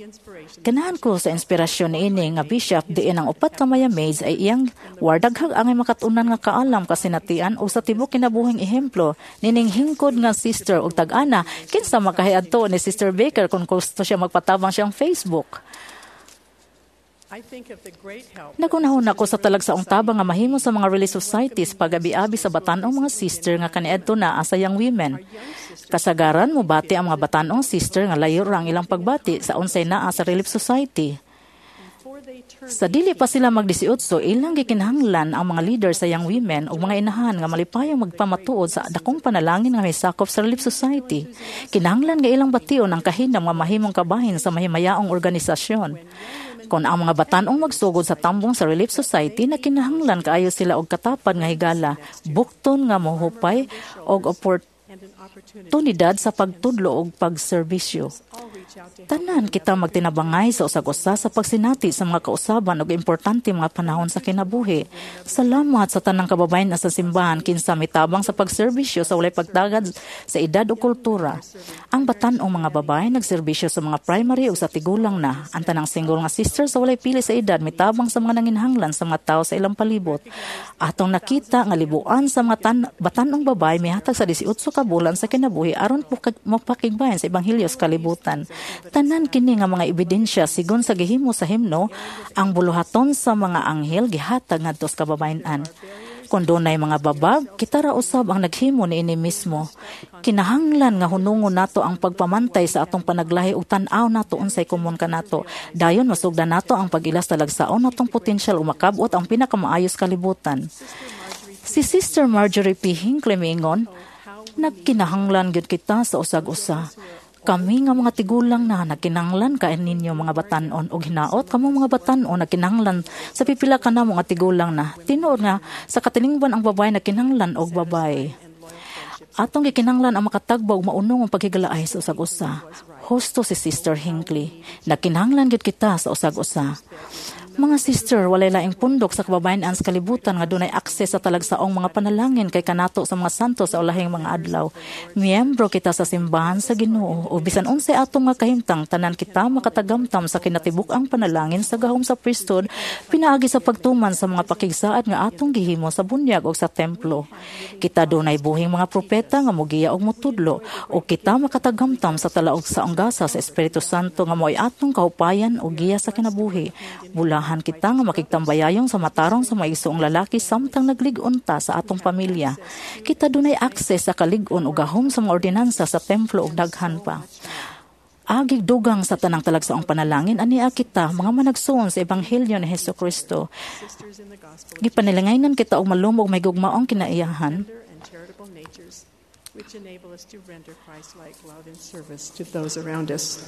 Ganahan ko sa inspirasyon niini nga bishop diin ang upat ka Maya Maids ay iyang wardaghag angay makatunan nga kaalam, kasinatian o sa tibok kinabuhing ehemplo nining hingkod nga sister og tag-ana. Kinsa makahiadto ni Sister Baker kung gusto siya magpatabang siyang Facebook. Nagunahon ako sa talagsaong tabang nga mahimo sa mga relief societies pagabi-abi sa batanong mga sister nga kaniadto na asa young women. Kasagaran mobati ang mga batanong sister nga layo ra ang ilang pagbati sa unsay naa sa Relief Society. Sa dili pa sila mag-18, ilang gikinahanglan ang mga leader sa young women o mga inahan nga malipayong magpamatuod sa dakong panalangin nga may sakop sa Relief Society. Kinahanglan nga ilang bation ang kahinam nga mahimong kabahin sa mahimayaong organisasyon. Kung ang mga batanong magsugod sa tambong sa Relief Society, nakinahanglan kaayo sila og katapad nga higala, bukton nga mohupay og oportunidad sa pagtudlo og pagserbisyo. Tanan kita magtinabangay sa usag-usa sa pagsinati sa mga kausaban og importante mga panahon sa kinabuhi. Salamat sa tanang kababayen na sa simbahan kinsa mitabang sa pagserbisyo sa walay pagtagad sa edad o kultura. Ang batan-ong mga babae nagserbisyo sa mga primary o sa tigulang na. Ang tanang single nga sister sa walay pili sa edad mitabang sa mga nanginhanglan sa mga tao sa ilang palibot. Atong nakita nga libuan sa mga batan-ong babae mihatag sa 18 ka bulan sa kinabuhi aron mapakigbayan sa ebanghelyo sa kalibutan. Tanan kini nga mga ebidensya sigon sa gihimo sa himno, ang buluhaton sa mga anghel gihatag ngadto sa kababayen-an. Kung dunay mga babag, kita ra usab ang naghimo niini mismo. Kinahanglan nga hunungon nato ang pagpamantay sa atong panaglahi ug tan-aw nato unsay komon kanato. Dayon masugdan nato ang pag-ilas talagsaon natong potensyal ug makabot ang pinakamaayo sa kalibutan. Si Sister Marjorie P. Hinckley miingon, "Nagkinahanglan gyud kita sa usag-usa. Kami nga mga tigulang na nagkinahanglan ka ninyo mga batan-on og hinaot kamo mga batan-on nagkinahanglan sa pipila ka namo nga tigulang na. Tinuod nga sa katilingban ang babae nagkinahanglan og babae. Atong gikinahanglan ang makatagba og maunong ang paghigalaay sa usag-usa." Husto si Sister Hinckley. Nagkinahanglan gyud kita sa usag-usa. Mga sister, walay laing pundok sa kababayen-an sa kalibutan nga dunay akses sa talagsaong mga panalangin kay kanato sa mga santo sa ulahing mga adlaw. Miyembro kita sa simbahan sa Ginoo o bisan unsay atong mga kahimtang, tanan kita makatagamtam sa kinatibuk-ang panalangin sa gahom sa priesthood pinaagi sa pagtuman sa mga pakigsaad nga atong gihimo sa bunyag o sa templo. Kita dunay buhing mga propeta nga mogiya og motudlo o kita makatagamtam sa talaog sa gasa sa Espiritu Santo nga mo'y atong kahupayan o giya sa kinabuhi. Bulahan kita nga makigtambayayong sa matarong sa maigsoong lalaki samtang naglig-on ta sa atong pamilya. Kita dunay akses sa kalig-on o gahom sa mga ordinansa sa templo ug daghan pa. Agig dugang sa tanang talagsaong panalangin ania kita mga managsuon sa ebanghelyo ni Hesus Kristo. Sisters in the gospel Gipanilangaynan kita og malumog may gugmaong kinaiyahan and charitable natures, which enable us to render Christ-like love and service to those around us.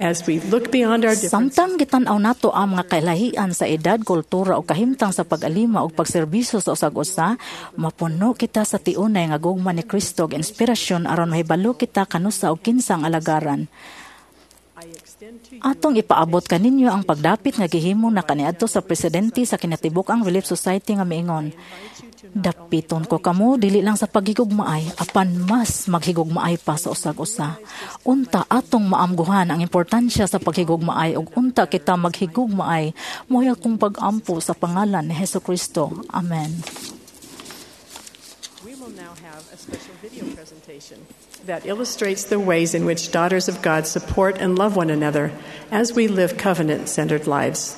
As we look beyond our differences, Samtang gitan-aw nato ang mga kailahian sa edad, kultura o kahimtang sa pag-alima o pagserbisyo sa usag-usa, mapuno kita sa tiunay nga gugma ni Kristo ug inspirasyon aron mahibalo kita kanusa og kinsang alagaran. I extend to you Atong ipaabot kaninyo ang pagdapit nga gihimo na kaniadto sa presidente sa kinatibuk-ang Relief Society nga miingon. Dapiton ko kamo dili lang sa paghigugmaay apan mas maghigugmaay pa sa usag-usa. Unta atong maamguhan ang importansya sa paghigugmaay ug unta kita maghigugmaay mo'y akong pag-ampo sa pangalan ni Hesus Kristo. Amen. We will now have a special video presentation that illustrates the ways in which daughters of God support and love one another as we live covenant centered lives.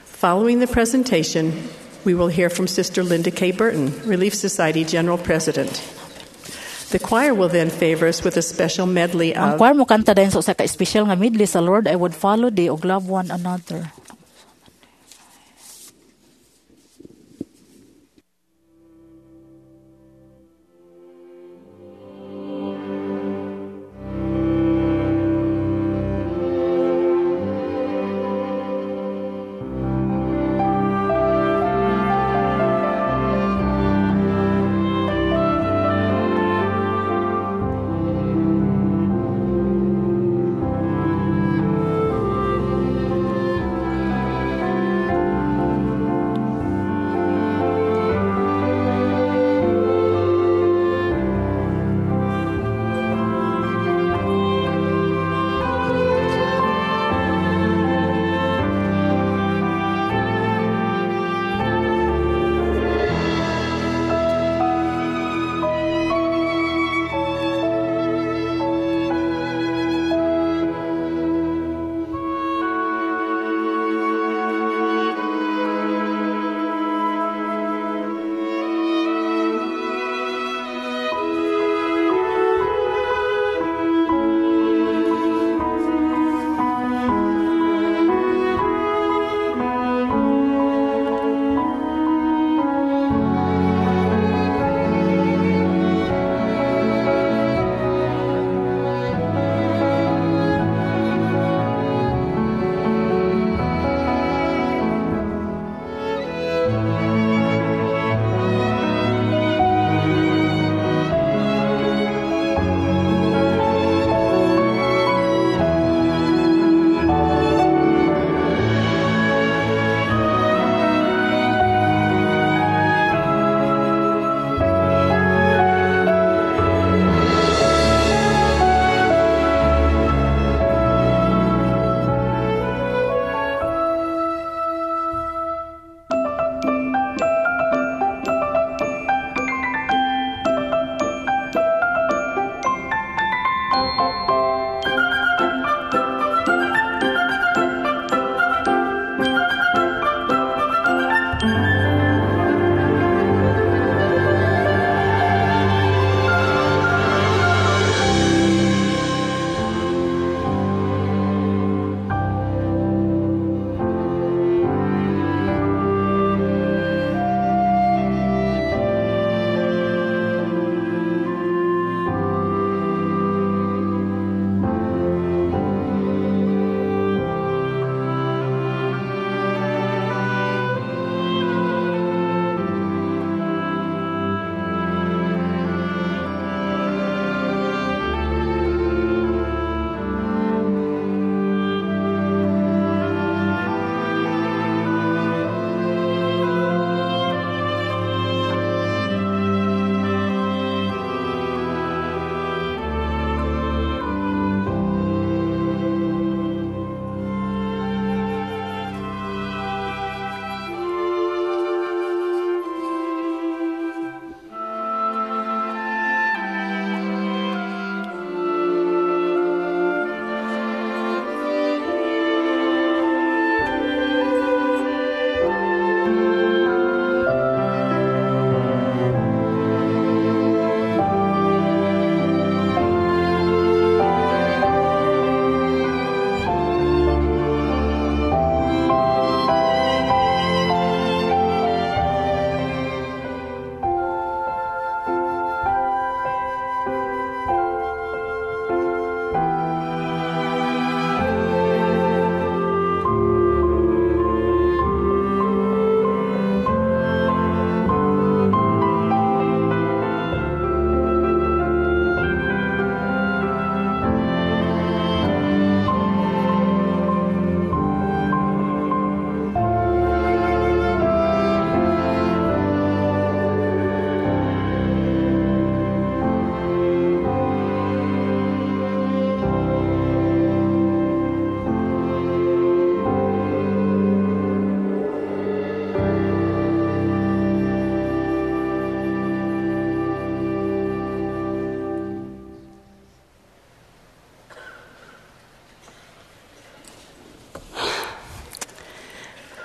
Following the presentation, we will hear from Sister Linda K. Burton, Relief Society General President. The choir will then favor us with a special medley Ang of choir mo kanta dayon sa usa ka espesyal nga medley sa Lord I Would Follow Thee ug Love One Another.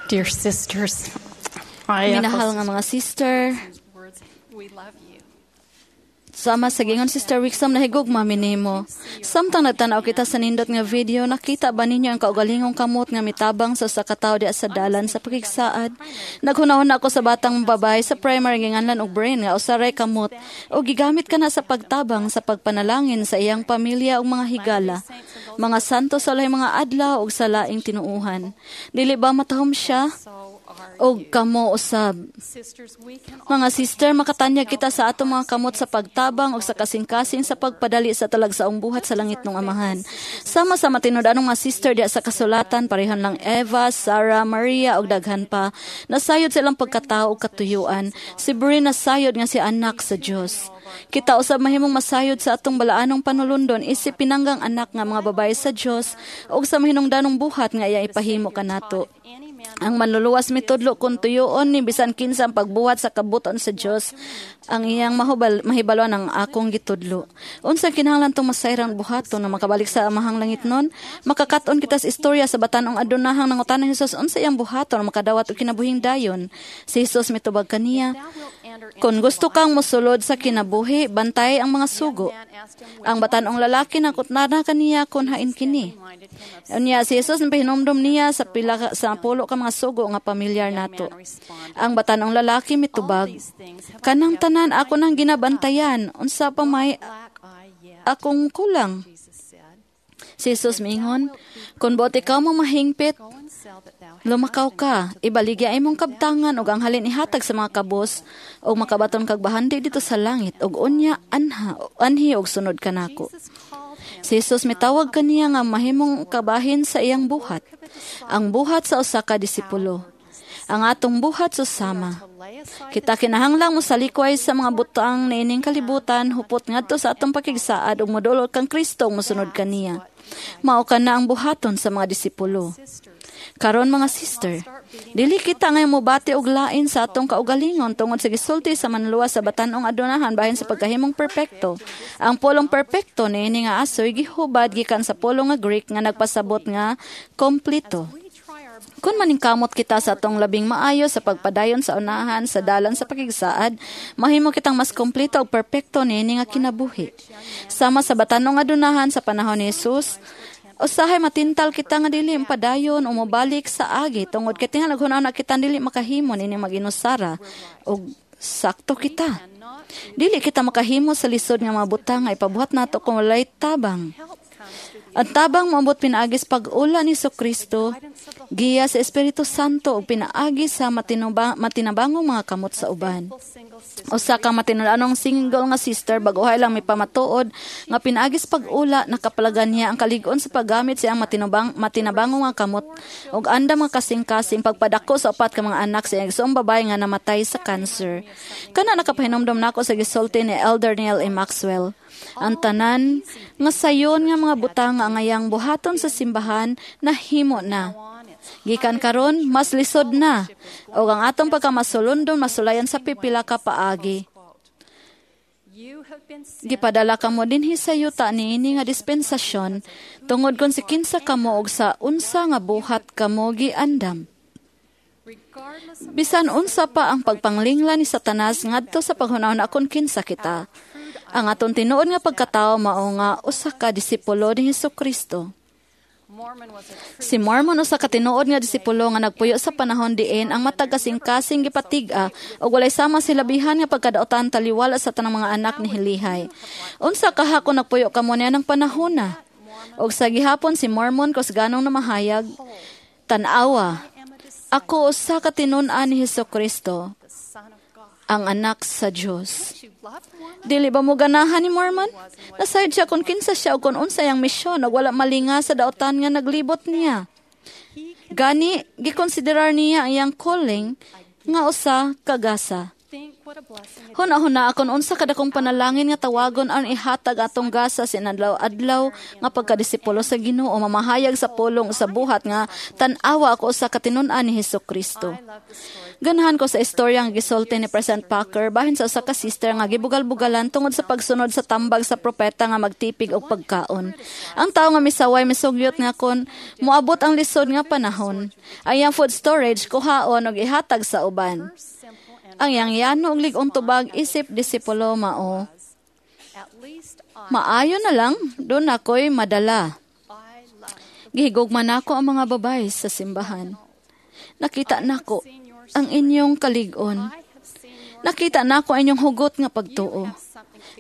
Dear sisters, I echo Minahal nga mga sister, words. We love you. Sama sa gingon Sister Wixom, nahigugma mi nimo. Samtang nagtan-aw kita sa nindot nga video, nakita ba ninyo ang kaugalingong kamot nga mitabang sa usa ka tawo diha sa dalan sa pakigsaad? Naghunahuna ako sa batang babae sa primary nga nganlan og Brain nga usa ray kamot og gigamit kana sa pagtabang sa pagpanalangin sa iyang pamilya ug mga higala. Mga santo sa ulahing mga adlaw ug sa laing tinuuhan. Dili ba matahom siya? So are Og kamo usab. sisters, we can Mga sister, makatanyag kita sa atong mga kamot sa pagtabang o sa kasing-kasing sa pagpadali sa talagsaong buhat sa langit ng Amahan. Sama sa matinud-anong mga sister diya sa kasulatan, parehon lang Eva, Sarah, Maria ug daghan pa. Nasayod sa ilang pagkatao ug katuyuan. Si Bree nasayod nga si anak sa Dios. Kita usab mahimong masayod sa atong balaanong panulundon isip pinanggang anak nga mga babae sa Dios ug sa mahinungdanong buhat nga iya ipahimo kanato. any man Ang manluluwas mitudlo kung tuyoon ni bisan kinsa ang pagbuhat sa kabuton sa Dios ang iyang mahubal mahibaluan ang akong gitudlo. Unsa kinahanglan tong masayrang buhaton na makabalik sa amahang langit nun? Makakat-on kita sa istorya sa batan-ong adunahang nangutana ni Jesus unsa iyang buhaton na makadawat og kinabuhing dayon. Si Jesus mitubag kaniya, thou wilt enter "Kung gusto kang mosulod sa kinabuhi, bantay ang mga sugo." man asked him Ang batan-ong lalaki nakutnana kaniya kon hain kini. reminded him of Unya si Jesus napahinomdom niya sa pila sa pulo ka mga sugo nga pamilyar nato. Ang batan-ong lalaki mitubag, these things have I "Kanang kept tanan ako nang ginabantayan, unsa pa may lack I yet, akong kulang?" Jesus said. Si Jesus miingon, "Kung buot ikaw mo mahingpit, Go and sell that thou hast lumakaw and ka, give to the ibaligya imong kabtangan ug ang halin ihatag sa mga kabos ug makabaton kag bahandi dito sa langit ug unya anha anhi og sunod kanako." Jesus called him Si Jesus mitawag kaniya nga mahimong kabahin sa iyang buhat. Ang buhat sa usa ka disipulo. Ang atong buhat susama. to lay aside Kita kinahanglang mosalikway sa mga butang niining kalibutan hupot ngadto sa atong pakigsaad ug modulol kang Kristo ug mosunod kaniya. Mao kana ang buhaton sa mga disipulo. sisters. Karon mga sister, dili kita ngayon mobati og lain sa atong kaugalingon tungod sa gisulti sa manluluwas sa batan-ong adunahan bahin sa pagkahimong perpekto. Ang pulong perpekto niini nga asoy gihubad gikan sa pulong nga Greek nga nagpasabot nga kompleto. We try our Kung maningkamot kita sa atong labing maayo sa pagpadayon sa unahan sa dalan sa pakigsaad, mahimo kitang mas kompleto ug perpekto niini nga kinabuhi. Sama sa batanong adunahan sa panahon ni Jesus, usahay matintal kita nga dili padayon o mobalik sa agi tungod kay tingal naghuna kita dili makahimo niini maginusara og sakto kita. not Dili kita makahimo sa lisod nga mga butang nga ipabuhat nato kung walay tabang. help comes through the Ang tabang moabot pinaagis pag-ula ni Kristo, giya sa Espiritu Santo ug pinaagi sa matinabangong mga kamot sa uban. single sister Usa ka matinud-anong single nga sister bag-ohay lang may pamatuod nga pinaagis pag-ula, nakapalagan niya ang kalig-on sa paggamit sa iyang matinabangong nga kamot ug andam nga kasing-kasing pagpadako sa upat ka mga anak sa iyang igsoong babae nga namatay sa cancer. Kana nakapahinomdom nako sa gisulti ni Elder Neil A. Maxwell. Ang tanan nga sayon nga mga butang nga angayang buhaton sa simbahan nahimo na. on its Gikan karon mas lisod na ug ang atong pagkamasulundon masulayan sa pipila ka paagi. quote. You have been sent Gipadala kamo dinhi sa yuta niini nga dispensasyon tungod kon si kinsa kamo og sa unsa nga buhat kamo giandam. regardless of Bisan unsa pa ang pagpanglingla ni Satanas ngadto sa paghunahuna kon kinsa kita. Ang atong tinuod nga pagkatao mao nga usa ka disipulo ni Hesukristo. Mormon was a true Si Mormon usa ka tinuod nga disipulo nga nagpuyo sa panahon diin ang matag kasing-kasing gipatig-a ug walay sama silabihan nga pagkadaotan taliwala sa tanang mga anak ni Hilihay. Unsa kaha kung nagpuyo kamo niya ng panahona? Og sa gihapon si Mormon kusganong namahayag, "Tan-awa, am a disciple, ako usa ka tinun-an ni Hesukristo, the Son of God. ang anak sa Dios." You love Mormon? Dili ba mo ganahan ni Mormon? Nasayod siya kung kinsa siya o kung unsa iyang misyon ug wala malinga sa daotan nga naglibot niya. Gani, gikonsiderar niya ang iyang calling nga usa kagasa. Think Huna-huna akon unsa kadakong panalangin nga tawagon ang ihatag atong gasa sa inadlaw-adlaw nga pagkadisipulo sa Ginoo, mamahayag sa pulong sa buhat nga tan-awa ako sa katinud-an ni Hesus Kristo. Ganahan ko sa istorya nga gisulti ni President Packer bahin sa usa ka sister nga gibugal-bugalan tungod sa pagsunod sa tambag sa propeta nga magtipig og pagkaon. Ang tawo nga misaway misugyot nga kon moabot ang lisod nga panahon, ang iyang food storage kuhaon og ihatag sa uban. Ang iyang yano og lig-ong tubag isip disipulo mao, "Maayo na lang, doon ako'y madala." Gihigugma nako ang mga babae sa simbahan. Nakita nako ang inyong kalig-on. Nakita nako ang inyong hugot nga pagtuo.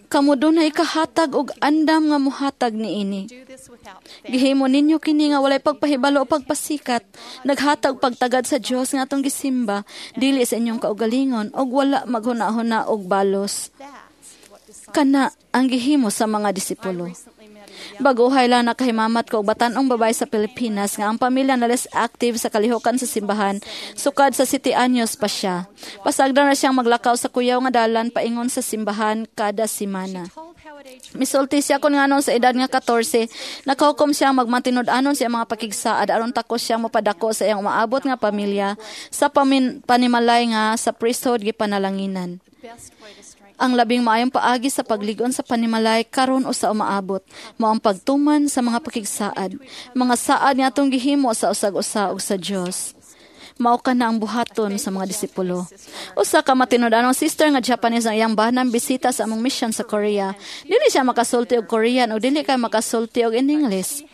Kamo dunay ikahatag og andam nga muhatag niini. Gihimo ninyo kini nga walay pagpahibalo o pagpasikat. Naghatag pagtagad sa Dios nga atong gisimba, dili sa inyong kaugalingon og wala maghuna-huna og balos. Kana ang gihimo sa mga disipulo. Baguhay lang nakahimamat ko og batan-ong babae sa Pilipinas nga ang pamilya na less active sa kalihukan sa simbahan, sukad sa 7 anyos pa siya. Pasagdan na siyang maglakaw sa kuyaw nga dalan paingon sa simbahan kada semana. Misulti siya kung nganon sa edad nga 14, nakahukom siya magmatinud-anon sa iyang mga pakigsaad aron takos siya mopadako sa iyang umaabot nga pamilya sa panimalay nga sa priesthood gipanalanginan. Ang labing maayong paagi sa pagligon sa panimalay karon o sa umaabot mao ang pagtuman sa mga pakigsaad, mga saad nga atong gihimo sa usag-usa ug sa Dios. Mao kana ang buhaton sa mga disipulo. Usa ka matinud-anong sister nga Japanese ang iyang banang bisita sa among mission sa Korea. Dili siya makasulti og Korean o dili kay makasulti og in English.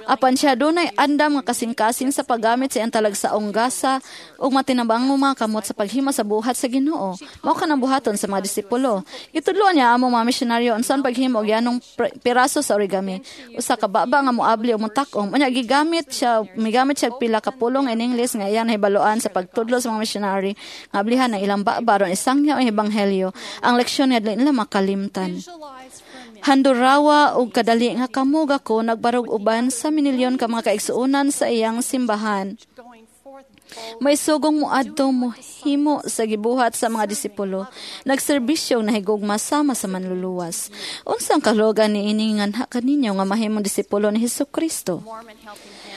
Apan siya dunay andam nga kasing-kasing sa paggamit sa iyang talagsaong gasa ug matinabang mga kamot sa paghimo sa buhat sa Ginoo. Mao kanang buhaton sa mga disipulo. Gitudloan niya among mga misyonaryo unsaon paghimo og yanong piraso sa origami. Usa ka baba nga moabli o motak-om. Unya gigamit siya, migamit siya og pila ka pulong in English nga iyang nahibaluan sa pagtudlo sa mga missionary nga ablihan ang ilang baba aron isangyaw ang ebanghelyo. Ang leksyon nga dili nila makalimtan. Handurawa og kadali nga kamo gako nagbarog uban sa minilyon ka mga kaigsuonan sa iyang simbahan. May sugong moadto mohimo sa gibuhat sa mga disipulo. Nagserbisyo nahigugma sama sa manluluwas. Unsang kaluogan niini nganha kaninyo nga mahimong disipulo ni Hesus Kristo?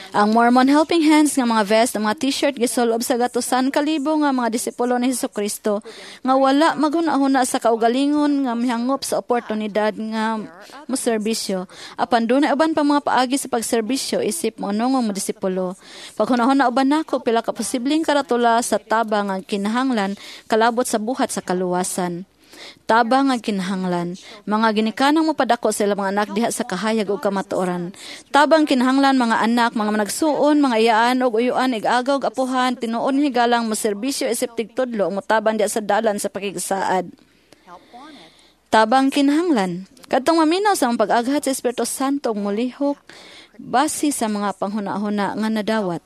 Ang Mormon Helping Hands nga mga vest, ang mga t-shirt gisulob sa gatusan kalibo nga mga disipulo ni Hesus Kristo nga wala maghuna-huna sa kaugalingon nga mihangop sa oportunidad nga moserbisyo. Apan dunay uban pa mga paagi sa pagserbisyo isip mo mo disipulo. Paghuna-huna uban nako pila ka posibleng karatula sa tabang nga kinahanglan kalabot sa buhat sa kaluwasan. Tabang nga kinahanglan, mga ginikanang mopadako sa ilang mga anak diha sa kahayag ug kamatuoran. Tabang kinahanglan mga anak, mga managsuon, mga iyaan ug uyuan, ig-agaw ug apuhan, tinuod ni higalang moserbisyo isip tigtudlo ug motabang diha sa dalan sa pakigsaad. Tabang kinahanglan, kadtong maminaw sa mga pag-aghat sa Espiritu Santo ug molihok base sa mga panghuna-huna nga nadawat.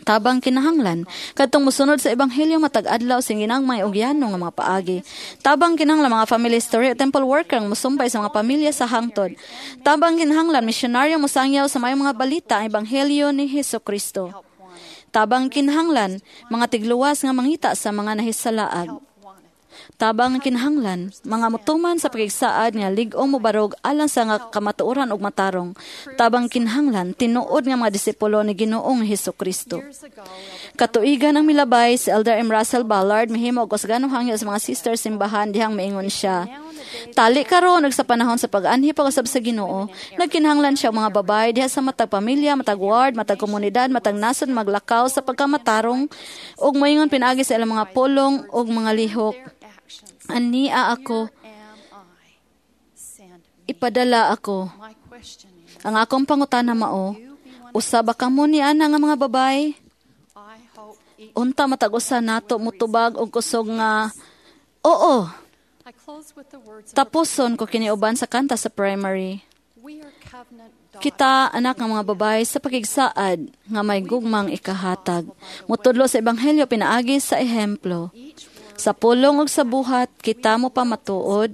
Tabang kinahanglan, kadtong mosunod sa ebanghelyo matag adlaw sa ginagmay og yano nga mga paagi. Tabang kinahanglan mga family history o temple worker ang mosumbay sa mga pamilya sa hangtod. Tabang kinahanglan misyonaryo mosangyaw sa maayong mga balita ang ebanghelyo ni Hesus Kristo. Tabang kinahanglan mga tigluwas nga mangita sa mga nahisalaag. Tabang kinahanglan mga mutuman sa pakigsaad nga lig-ong mobarog alang sa nga kamatuoran ug matarong. Tabang kinahanglan tinuod nga mga disipulo ni Ginoong Hesus Kristo. Katuigan ang milabay si Elder M. Russell Ballard mihimo og usganong hangyo sa mga sister simbahan dihang miingon siya. Tali karon ug sa panahon sa pag-anhi pag-usab sa Ginoo, nagkinahanglan siya og mga babae diha sa matag pamilya, matag ward, matag komunidad, matag nasod maglakaw sa pagkamatarong ug moingon pinaagi sa ilang mga pulong ug mga lihok. "Ania ako, ipadala ako." Ang akong pangutana mao, usa ba kamo ni ana nga mga babae? Unta matag usa nato motubag og kusog nga oo. Tapuson ko kini uban sa kanta sa primary. Kita, anak ng mga babae, sa pakigsaad nga may gugmang ikahatag. Mutudlo sa ebanghelyo pinaagi sa ehemplo. Sa pulong ug sa buhat, kita mo pamatuod.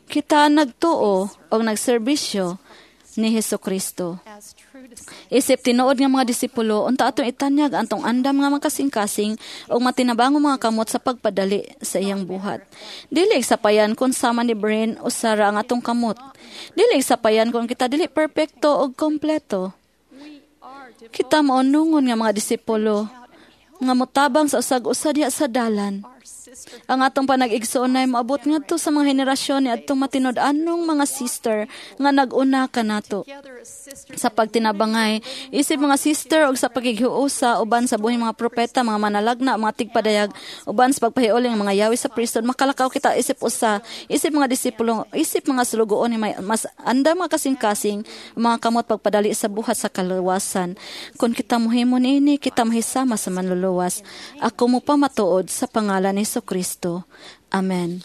Kita nagtuo og nagserbisyo ni Hesus Kristo. Isip tinuod nga mga disipulo, unta atong itanyag antong andam nga makasing-kasing ug matinabango mga kamot sa pagpadali sa iyang buhat. Dili sapayan kung sama ni Brin o Sara ang atong kamot. Dili sapayan kung kita dili perpekto og kompleto. Kita maunungon nga mga disipulo nga motabang sa usag-usa diha sa dalan. Ang atong panag-igsoon ay moabot ngadto sa mga henerasyon ni adtong matinud-anong mga sister nga nag-una kanato. Sa pagtinabangay, isip mga sister og sa pagighiusa uban sa buhi mga propeta, mga manalagna, mga tigpadayag, uban sa pagpahiuli ng mga yawi sa priesthood, makalakaw kita isip usa, isip mga disipulo, isip mga sulugoon ni may mas andam mga kasing-kasing, mga kamot pagpadali sa buhat sa kaluwasan. Kung kita mohimo niini, kita mahisama sa manluluwas. Ako mo pa matuod sa pangalan ni Kristo. Amen.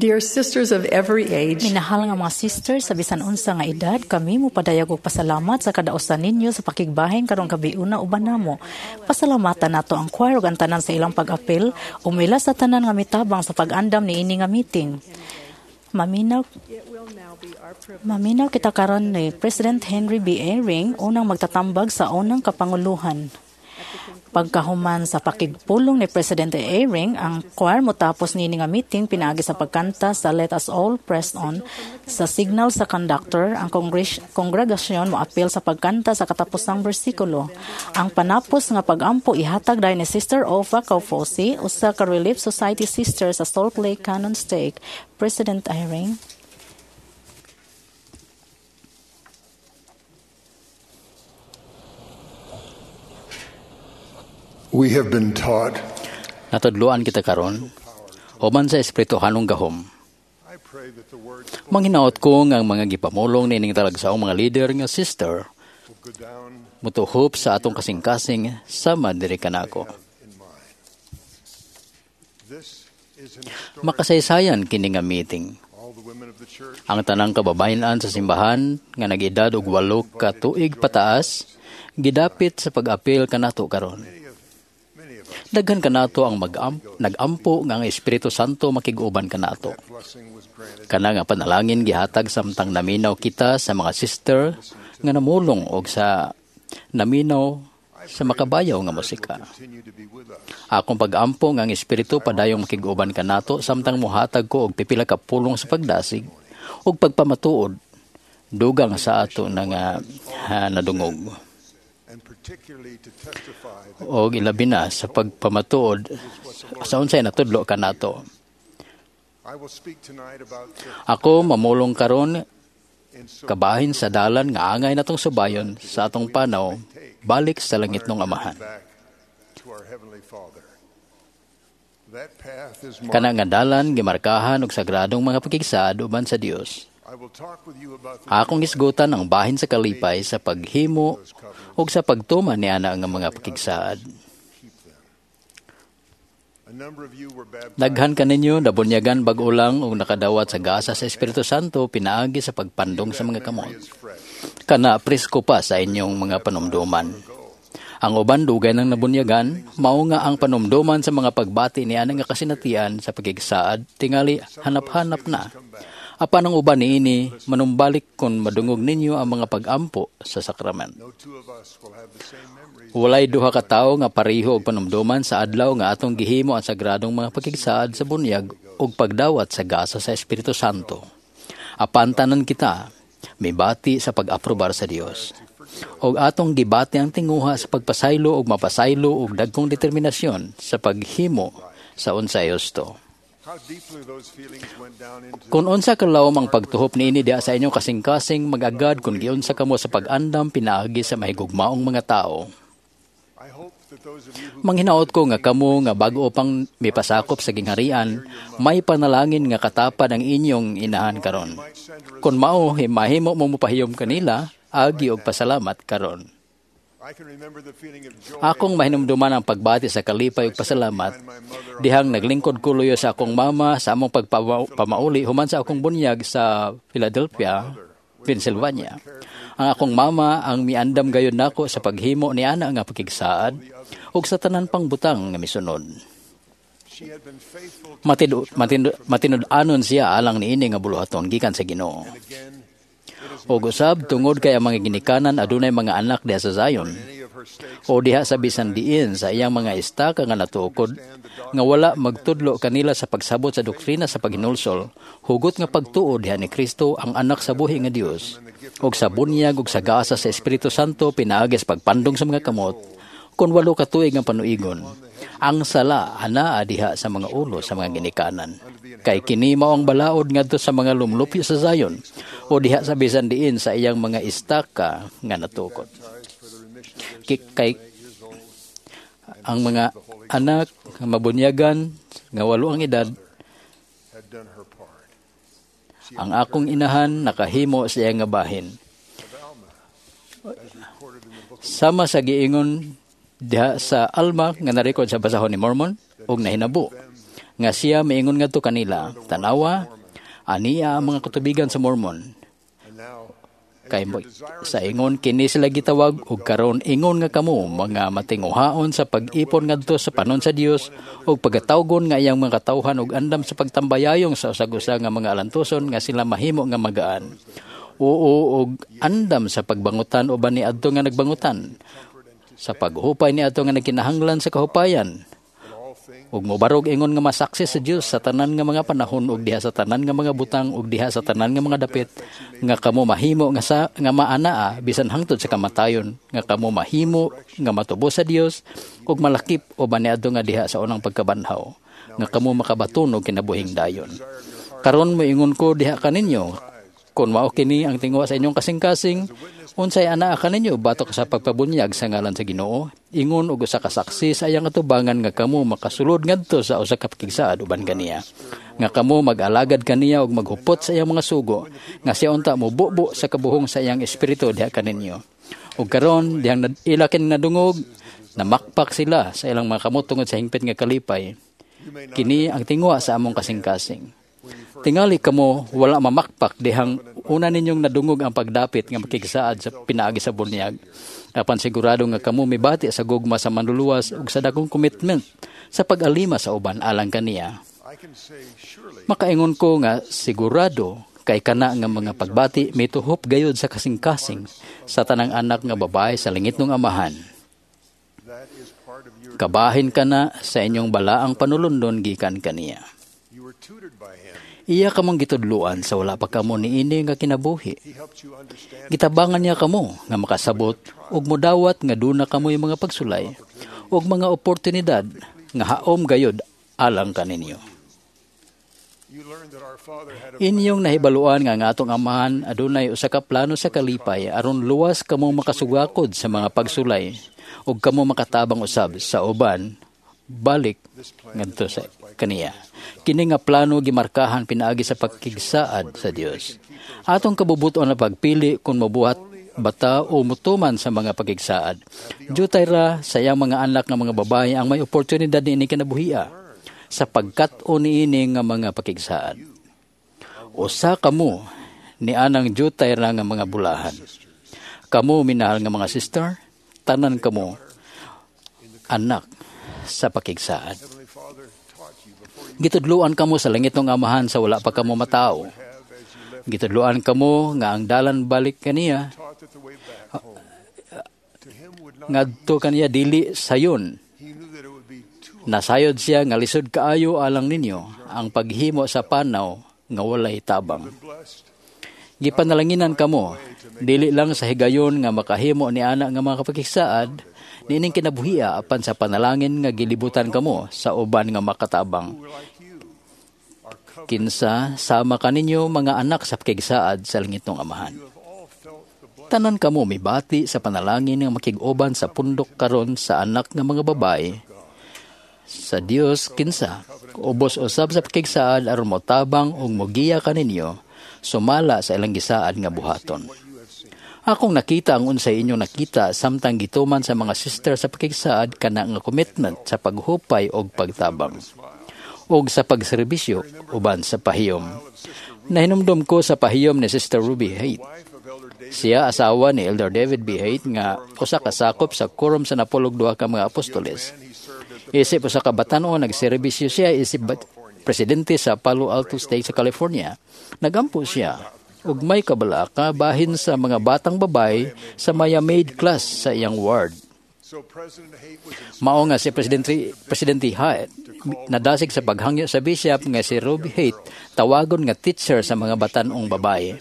Dear sisters of every age, Minahal nga mga sister sa bisan unsa nga edad, kami mopadayag og pasalamat sa kadausan ninyo sa pakigbahin karong gabiuna uban namo. Pasalamatan nato ang choir ug ang tanan sa ilang pag-apil, umila sa tanan nga mitabang sa pag-andam niini nga meeting. Maminaw Maminaw kita karon ni President Henry B. Eyring, unang magtatambag sa unang kapanguluhan. Pagkahuman sa pakigpulong ni Presidente Eyring, ang choir motapos niini nga meeting pinaagi sa pagkanta sa Let Us All Press On. Sa signal sa conductor, ang kongregasyon moapil sa pagkanta sa katapusang bersikulo. Ang panapos nga pagampo ihatag dayon ni Sister Ofa Kaufosi, usa ka Relief Society sister sa Salt Lake Cannon Stake. President Eyring. We have been taught. Natudloan kita karon uban sa espirituhanong gahom. I pray that the words Manghinaot ko nga ang mga gipamulong nining talagsaong mga leader nga sister will go down mutuhop sa atong kasing-kasing sama diri kanako. in mine. This is an historic. Makasaysayan kini nga meeting. All the women of the church Ang tanang kababayen-an sa simbahan nga nag-edad og 8 ka tuig pataas gidapit sa pag-apil kanato karon. many of us, Daghan kanato ang nag-ampo nga ang Espiritu Santo makig-uban kanato. that blessing was granted Kana nga panalangin gihatag samtang naminaw kita sa mga sister nga namulong og sa naminaw sa makabayaw nga musika. continue to be with us. Akong pag-ampo nga ang Espiritu padayong makig-uban kanato samtang mohatag ko og pipila ka pulong sa pagdasig ug pagpamatuod dugang sa ato na nga nadungog. And particularly to testify that Og ilabi na sa pagpamatuod sa unsay natudlo kanato. I will speak tonight about the Ako mamulong karon in so kabahin sa dalan nga angay natong subayon sa atong panaw balik sa langit ng Amahan. back to our Heavenly Father. That path is Kana marked. nga dalan gimarkahan og sagradong mga pakigsaad uban sa Dios. I will talk with you about the Akong hisgutan ang bahin sa kalipay sa paghimo ug sa pagtuman ni ana nga mga pakigsaad. keep them. A number of you were baptized Daghan kaninyo nabunyagan bag-o lang ug nakadawat sa gasa sa Espiritu Santo pinaagi sa pagpandong sa mga kamot. is fresh. Kana presko pa sa inyong mga panumduman. Ang uban dugay nang nabunyagan, mao nga ang panumduman sa mga pagbati ni ana nga kasinatian sa pagigsaad tingali hanap-hanap na. Apan ang uban niini manumbalik kon madungog ninyo ang mga pag-ampo sa sakramen. No two of us will have the same memories. Walay duha ka tawo nga pareho og panumduman sa adlaw nga atong gihimo ang sagradong mga pakigsaad sa bunyag ug pagdawat sa gasa sa Espiritu Santo. Apan tanan kita mibati sa pag-aprobar sa Dios. Og atong gibati ang tinguha sa pagpasaylo ug mapasaylo og dagkong determinasyon sa paghimo sa unsay husto. How deeply those feelings went down into Kung unsa kalawom ang pagtuhop niini diha sa inyong kasing-kasing magagad kung giunsa kamo sa pag-andam pinaagi sa mahigugmaong mga tao. I hope that those of you who Manghinaot ko nga kamo nga bag-o pang mipasakop sa gingharian, may panalangin nga katapad ang inyong inahan karon. might send her a Kung mao mahimo mo mopahiyom kanila, agi og pasalamat karon. I can remember the feeling of joy Akong mahinumduman ang pagbati sa kalipay ug pasalamat dihang naglingkod ko luyo sa akong mama sa among pagpamauli human sa akong bunyag sa Philadelphia, Pennsylvania. Ang akong mama ang miandam gayon nako sa paghimo ni ana nga pakigsaad ug sa tanan pang butang nga misunod. she had been faithful to Matinud-anon siya alang niini nga buluhaton gikan sa Ginoo. again it is Ug usab tungod kay ang mga ginikanan adunay mga anak diha sa Zion many of her stakes o diha sa bisan diin sa iyang mga istaka nga natukod nga wala magtudlo kanila sa pagsabot sa doktrina sa paghinulsol, hugot nga pagtuo diha ni Kristo ang anak sa buhi nga Dios ug sa bunyag ug sa gasa sa Espiritu Santo pinaagi sa pagpandong sa mga kamot kon 8 ka tuig ang panuigon. Ang sala anaa diha sa mga ulo sa mga ginikanan. Kay kini mao ang balaod ngadto sa mga lumlupyo sa Zion o diha sa bisan diin sa iyang mga istaka nga natukod. for the remission of their Kay ang mga anak nga mabunyagan nga 8 ang edad, had done her part. ang akong inahan nakahimo sa iyang nga bahin. Of Alma, as recorded in the book of Sama sa giingon diha sa Alma nga narekord sa basahon ni Mormon ug nahinabo Nga siya miingon ngadto kanila, "Tanawa, ania ang mga katubigan sa Mormon." Kay sa ingon kini sila gitawag, ug karon ingon nga kamo mga matinguhaon sa pag-ipon ngadto sa panon sa Dios ug pagatawgon nga iyang mga katawhan ug andam sa pagtambayayong sa usag-usa nga mga alantuson nga sila mahimo nga magaan. Oo, og andam sa pagbangutan uban ni adto nga nagbangutan, sa paghupay ni adto nga nagkinahanglan sa kahupayan, ug mobarog ingon nga masaksi sa Dios sa tanan nga mga panahon ug diha sa tanan nga mga butang ug diha sa tanan nga mga dapit, nga kamo mahimo nga sa nga maanaa bisan hangtod sa kamatayon, nga kamo mahimo nga matubos sa Dios ug malakip uban niadto nga diha sa unang pagkabanhaw, nga kamo makabaton og kinabuhing dayon. Karon moingon ko diha kaninyo, kon mao kini ang tinguha sa inyong kasing-kasing, unsay anaa kaninyo batok sa pagpabunyag sa ngalan sa Ginoo, ingon og usa ka saksi sa iyang atubangan, nga kamo makasulod ngadto sa usa ka pakigsaad uban kaniya, nga kamo mag-alagad kaniya ug maghupot sa iyang mga sugo, nga siya unta mobubo sa kabuhong sa iyang espiritu diha kaninyo? Ug karon dihang ila kini nadungog, namakpak sila sa ilang mga kamot tungod sa hingpit nga kalipay. Kini ang tinguha sa among kasing-kasing. Tingali kamo wala mamakpak dihang una ninyong nadungog ang pagdapit nga makigsaad sa pinaagi sa bunyag. Apan sigurado nga kamo mibati sa gugma sa manluluwas ug sa dakong commitment sa pag-alima sa uban alang kaniya. Makaingon ko nga sigurado kay kana nga mga pagbati mituhop gayud sa kasing-kasing sa tanang anak nga babae sa langitnong Amahan. Kabahin kana sa inyong balaang panulundon gikan kaniya. Iya kamong gitudluan sa wala pa kamo niini nga kinabuhi. Gitabangan niya kamo nga makasabot ug modawat nga duna kamoy mga pagsulay ug mga oportunidad nga haom gayud alang kaninyo. Inyong nahibaluan nga ang atong Amahan adunay usa ka plano sa kalipay aron luwas kamo makasugakod sa mga pagsulay ug kamo makatabang usab sa uban balik ngadto sa kaniya. Kini nga plano gimarkahan pinaagi sa pagkigsaad sa Dios. Atong kabubuton na pagpili kung mabuhat bata o mutuman sa mga pagkigsaad. Jutay ra sa iyang mga anak nga mga babae ang may oportunidad niini kinabuhia sa pagkat-o niini nga mga pakigsaad. Usa kamo ni anang jutay ra nga mga bulahan. Kamo minahal nga mga sister, tanan kamo anak sa pakigsaad. Gitudluan kamo sa langitong Amahan sa wala pa kamo matao. Gitudluan kamo nga ang dalan balik kaniya ngadto kaniya dili sayon. Nasayod siya nga lisod kaayo alang ninyo ang paghimo sa panaw nga walay tabang. Gipanalanginan kamo dili lang sa higayon nga makahimo ni ana nga mga kapakigsaad niining kinabuhia, apan sa panalangin nga gilibutan kamo sa uban nga makatabang. Kinsa sama kaninyo mga anak sa pakigsaad sa langitong Amahan. Tanan kamo mibati sa panalangin nga makig-uban sa pundok karon sa anak nga mga babae sa Dios, kinsa ubos usab sa pakigsaad aron motabang ug mogiya kaninyo sumala sa ilang gisaad nga buhaton. Akong nakita ang unsay inyong nakita samtang gituman sa mga sister sa pakigsaad kana nga commitment sa paghupay og pagtabang ug sa pagserbisyo uban sa pahiyom. Nahinumdom ko sa pahiyom ni Sister Ruby Haight. Siya asawa ni Elder David B. Haight nga usa ka sakop sa quorum sa 72 ka mga apostoles. Isip usa ka batan-on, nagserbisyo siya isip presidente sa Palo Alto State sa California. Nagampo siya ug may kabalaka bahin sa mga batang babae sa Maya Maid class sa iyang ward. Mao nga si Presidente Haight nadasig sa paghangyo sa bishop nga si Ruby Haight tawagon nga teacher sa mga batan-ong babae.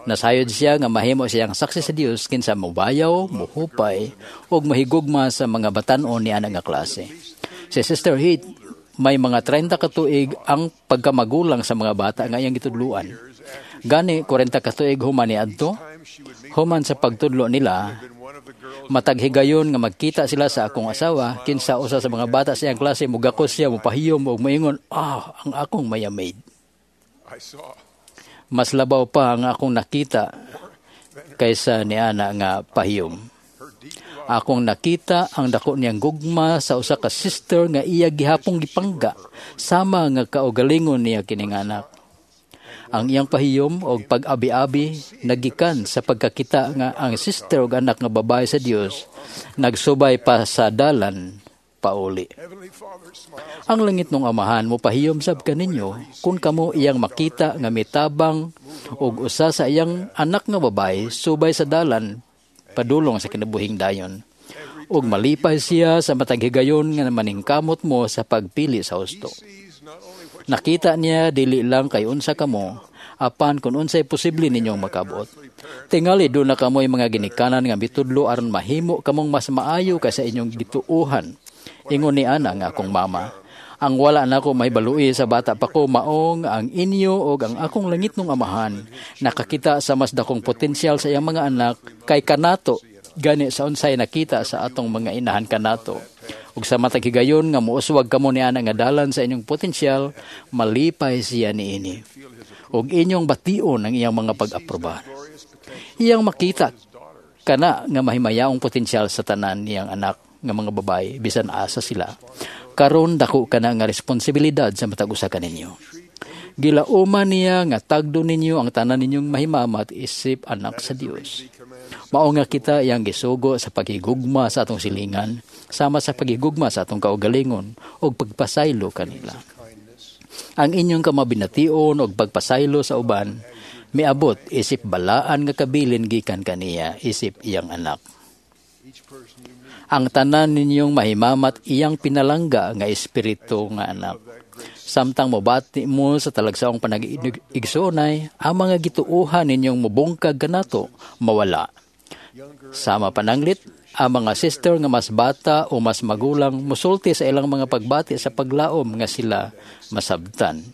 Nasayod siya nga mahimo siyang saksi sa Dios kinsa mobayaw, mohupay ug mahigugma sa mga batan-on ni ana nga klase. Si Sister Haight may mga 30 ka tuig ang pagkamagulang sa mga bata nga iyang gitudluan. Gani 40 ka tuig human ni adto, human sa pagtudlo nila, matag higayon nga magkita sila sa akong asawa, kinsa usa sa mga bata sa iyang klase mugakos siya, mopahiyom ug moingon, "Ah, ang akong maya maid." Mas labaw pa ang akong nakita kaysa ni ana nga pahiyom. Akong nakita ang dako niyang gugma sa usa ka sister nga iya gihapong gipangga sama nga kaugalingon niya kining anak. Ang iyang pahiyom og pag-abi-abi nagikan sa pagkakita nga ang sister og anak nga babae sa Dios nagsubay pa sa dalan pauli. Ang langit nung amahan mo pahiyom sab kaninyo kung kamo iyang makita nga mitabang og usa sa iyang anak nga babae subay sa dalan padulong sa kinabuhing dayon. Ug malipay siya sa matag higayon nga maningkamot mo sa pagpili sa husto. Nakita niya dili lang kay unsa kamo, apan kung unsay posible ninyong makabot. Tingali doon na kamoy mga ginikanan nga mitudlo aron mahimo kamong mas maayo kaysa inyong gituohan. Ingon ni ana nga akong mama. Ang wala nako mahibalui sa bata pa ko maong ang inyo og ang akong langit nung amahan nakakita sa mas dakong potensyal sa iyang mga anak kay kanato gani sa unsay nakita sa atong mga inahan kanato. Ug sa matag higayon nga mouswag kamo ni ana nga dalan sa inyong potensyal, malipay siya niini. Ug inyong bation ang iyang mga pag-aprobar. Iyang makita kana nga mahimayaong potensyal sa tanan niyang anak nga mga babae bisan asa sila. Karon dako kana nga responsibilidad sa matag usa kaninyo. Gilauman niya nga tagdo ninyo ang tanan ninyong mahimamat isip anak sa Dios. Mao nga kita iyang gisugo sa paghigugma sa atong silingan, sama sa paghigugma sa atong kaugalingon ug pagpasaylo kanila. Ang inyong kamabination ug pagpasaylo sa uban miabot isip balaan nga kabilin gikan kaniya isip iyang anak. Ang tanan ninyong mahimamat iyang pinalangga nga espiritu nga anak. Samtang mobati mo sa talagsaong panag-igsoonay, ang mga gituohan ninyong mobungkag kanato mawala. Sama pananglit, ang mga sister nga mas bata o mas magulang musulti sa ilang mga pagbati sa paglaom nga sila masabtan.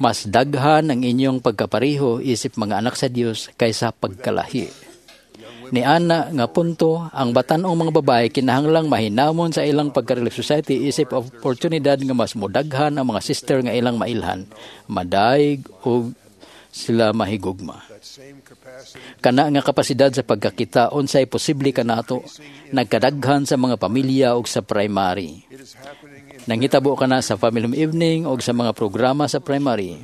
Mas daghan ang inyong pagkapariho isip mga anak sa Dios kaysa pagkalahi. Ni ana nga punto, ang batan-ong mga babae kinahanglang mahinamon sa ilang pagka-Relief Society isip oportunidad nga mas mudaghan ang mga sister nga ilang mailhan, madaig o sila mahigugma. Kana nga kapasidad sa pagkakita unsay posible kanato nagkadaghan sa mga pamilya ug sa primary. Nanghitabo kana sa family evening ug sa mga programa sa primary.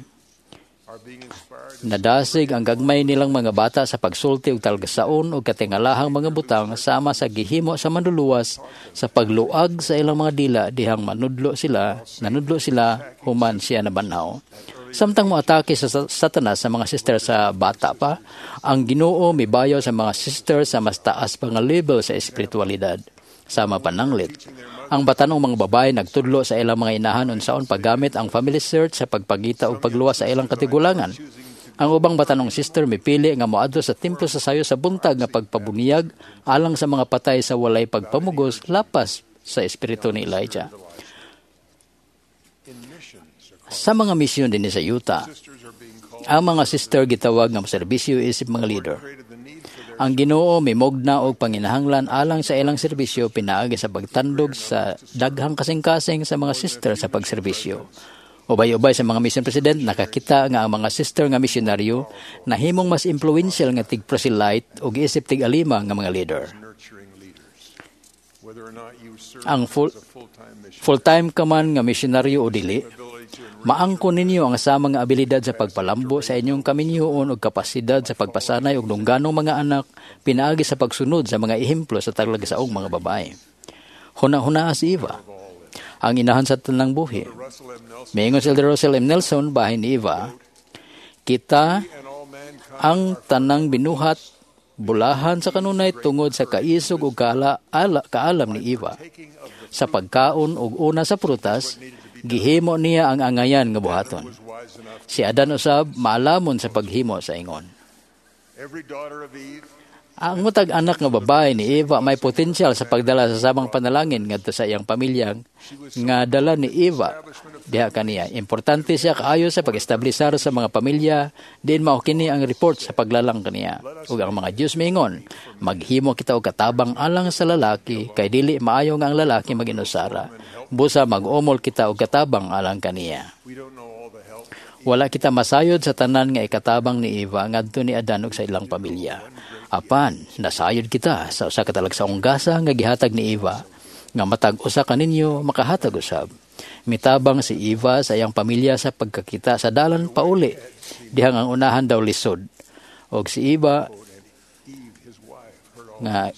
Nadasig ang gagmay nilang mga bata sa pagsulti og talgasaon og katingalahang mga butang sama sa gihimo sa manluluwas sa pagluag sa ilang mga dila dihang manudlo sila, nanudlo sila human siya nabanhaw. Samtang moatake sa Satanas sa mga sister sa bata pa, ang Ginoo mibayaw sa mga sister sa mas taas pa nga level sa espiritualidad. Sama pananglit, ang batanong mga babae nagtudlo sa ilang mga inahan unsaon paggamit ang family search sa pagpagita ug pagluwas sa ilang katigulangan. Ang ubang batanong sister mipili nga moadto sa templo sa sayo sa buntag nga pagpabuniyag alang sa mga patay sa walay pagpamugos lapas sa espiritu ni Elijah. Sa mga misyon dinhi sa yuta, ang mga sister gitawag nga serbisyo isip mga leader. Ang Ginoo mimugna og panginahanglan alang sa ilang serbisyo pinaagi sa pagtandog sa daghang kasing-kasing sa mga sister sa pagserbisyo. Ubay-ubay sa mga mission president, nakakita nga ang mga sister nga misyonaryo nahimong mas influential nga tig-proselyte ug isip tig-alima nga mga leader. Ang full-time ka man nga misyonaryo o dili, maangkon ninyo ang sama nga abilidad sa pagpalambo sa inyong kaminyoon ug kapasidad sa pagpasanay og dungganong mga anak pinaagi sa pagsunod sa mga ehemplo sa talagsaong mga babae. Huna-hunaa si Eva, ang inahan sa tanang buhi. Miingon si Elder Russell M. Nelson bahin ni Eva, kita ang tanang binuhat bulahan sa kanunay tungod sa kaisog ug kaalam ni Eva. Sa pagkaon ug una sa prutas, gihimo niya ang angayan nga buhaton. Si Adan usab maalamon sa paghimo sa ingon. Ang matag anak nga babae ni Eva may potensyal sa pagdala sa samang panalangin ngadto sa iyang pamilya nga dala ni Eva diha kaniya. Importante siya kaayo sa pag-establisar sa mga pamilya diin mao kini ang report sa paglalang kaniya. Ug ang mga Dios miingon, maghimo kita og katabang alang sa lalaki kay dili maayo nga ang lalaki maginusara. Busa mag-umol kita og katabang alang kaniya. Wala kita masayod sa tanan nga ikatabang ni Eva ngadto ni Adan ug sa ilang pamilya. Apan, nasayod kita sa usa ka talagsaong gasa nga gihatag ni Eva nga matag usa kaninyo makahatag usab. Mitabang si Eva sa iyang pamilya sa pagkakita sa dalan pauli dihang ang unahan daw lisod. Og si Eva nga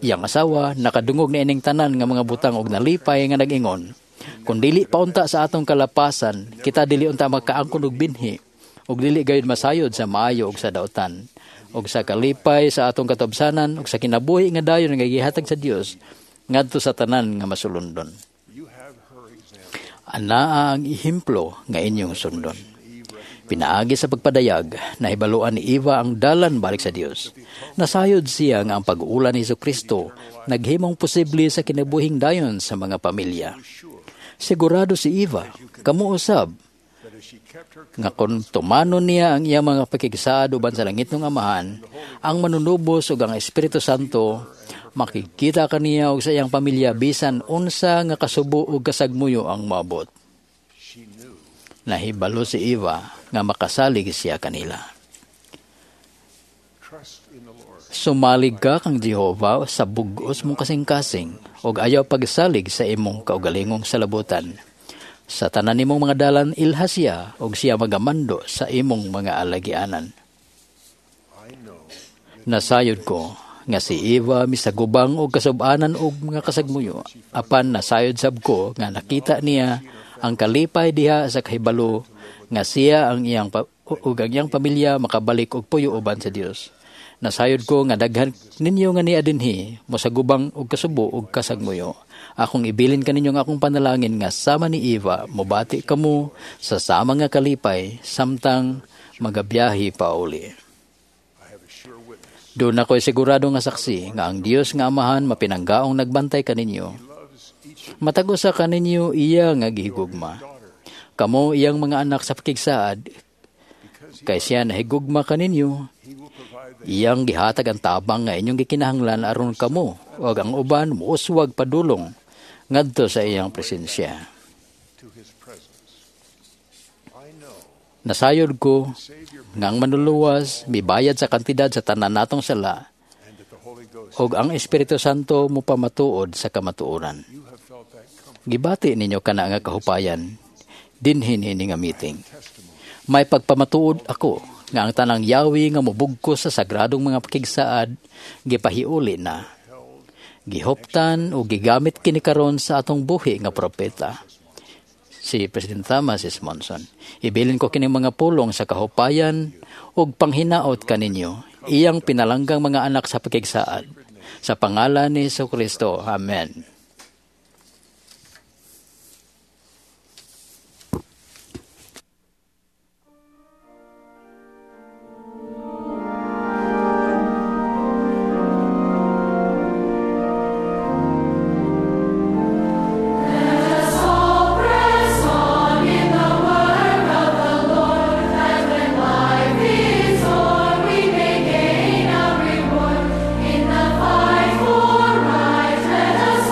iyang asawa nakadungog ni ining tanan nga mga butang og nalipay nga nag-ingon, "Kung dili pa unta sa atong kalapasan, kita dili unta makaangkon og binhi ug dili gayud masayod sa maayo ug sa dautan ug sa kalipay sa atong katubsanan ug sa kinabuhi nga dayon nga gihatag sa Dios ngadto sa tanan nga masulundon." Anaa ang ehemplo nga inyong sundon. Pinaagi sa pagpadayag, nahibaluan ni Eva ang dalan balik sa Dios. Nasayod siya nga ang pag-ulan ni Kristo naghimong posible sa kinabuhing dayon sa mga pamilya. Sigurado si Eva, kamo usab, nga kung tumanon niya ang iyang mga pakigsaad uban sa langit ng Amahan, ang manunubos ug ang Espiritu Santo, makikita kaniya og sa iyang pamilya bisan unsa nga kasubo ug kasagmuyo ang moabot. Nahibalo si Eva nga makasalig siya kanila. Sumalig ka kang Jehova sa bug-os mong kasing-kasing ug ayaw pagsalig sa imong kaugalingong salabutan. Sa tanan nimong mga dalan ilha siya ug siya magamando sa imong mga alagianan. Nasayod ko nga si Eva misagubang og kasub-anan og mga kasagmuyo, apan nasayod sab ko nga nakita niya ang kalipay diha sa kahibalo nga siya ang iyang ug ang iyang pamilya makabalik og puyo uban sa Dios. Nasayod ko nga daghan ninyo nga niya dinhi mosagubang og kasubo og kasagmuyo. Akong ibilin kaninyo nga akong panalangin nga sama ni Eva mobati kamo sa sama nga kalipay samtang magabiyahe pauli. Doon ako'y sigurado nga saksi nga ang Dios nga Amahan mapinanggaong nagbantay kaninyo. Matag usa kaninyo iya nga gihigugma. Kamo iyang mga anak sa pakigsaad, kay siya nahigugma kaninyo. Iyang gihatag ang tabang nga inyong gikinahanglan aron kamo ug ang uban muuswag padulong ngadto sa iyang presensya. Nasayod ko nga ang manluluwas mibayad sa kantidad sa tanan natong sala ug ang Espiritu Santo mopamatuod sa kamatuoran. Gibati ninyo kana nga kahupayan dinhin ini nga meeting. May pagpamatuod ako nga ang tanang yawi nga mobugkos sa sagradong mga pakigsaad gipahiuli na. Gihuptan o gigamit kini karon sa atong buhi nga propeta, si President Thomas S. Monson. Ibilin ko kining mga pulong sa kahupayan ug panghinaot kaninyo, iyang pinalanggang mga anak sa pakigsaad. Sa pangalan ni Jesucristo. Amen. We may gain our reward in the fight for right. Let us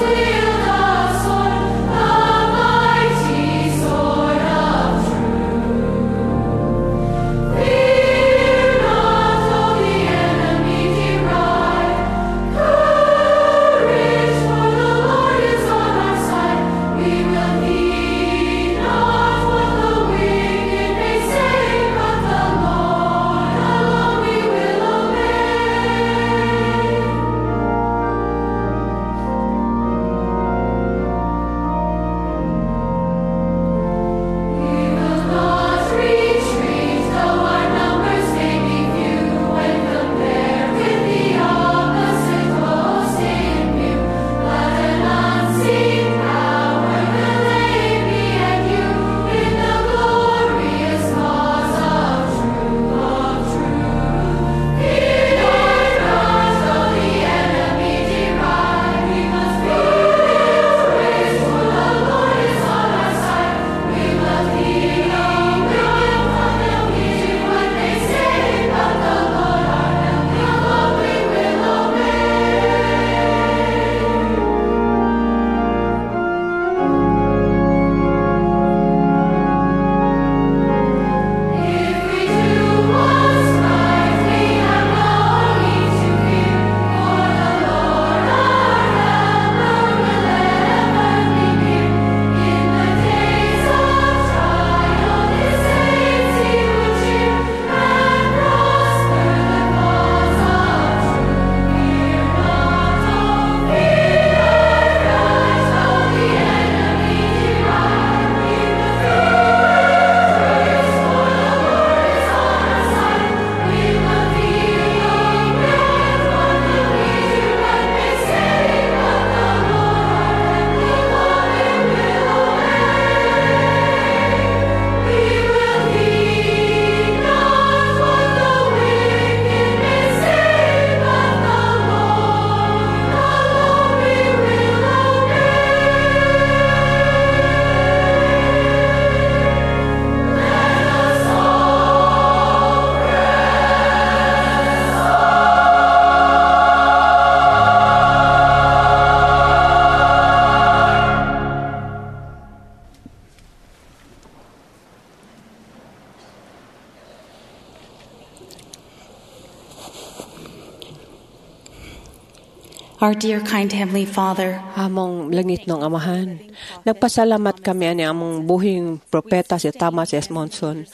Our dear kind Heavenly Father, Among langitnong Amahan, nagpasalamat kami ani among buhing propeta si Thomas S. Monson.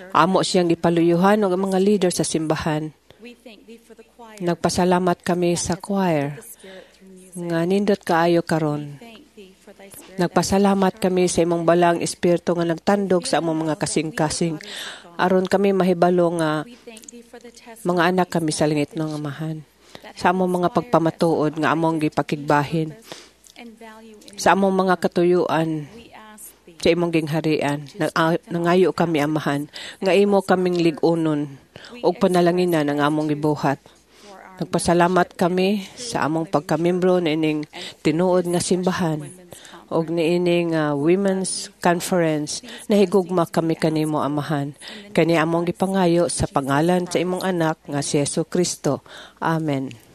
Amo siyang gipaluyuhan og mga leader sa simbahan. Nagpasalamat kami sa choir nga nindot kaayo karon. Nagpasalamat kami sa imong balaang espiritu nga nagtandog sa among mga kasing-kasing aron kami mahibalo nga mga anak kami sa langitnong Amahan. Sa among mga pagpamatuod nga among gipakigbahin, sa among mga katuyuan sa imong gingharian, nangayo kami, Amahan, nga imo kaming lig-unon ug panalanginan ang among gibuhat. Nagpasalamat kami sa among pagkamembro niining tinuod nga simbahan ug niining Women's Conference. Nahigugma kami kanimo, Amahan. Kani among gipangayo sa pangalan sa imong anak nga si Jesu Kristo. Amen.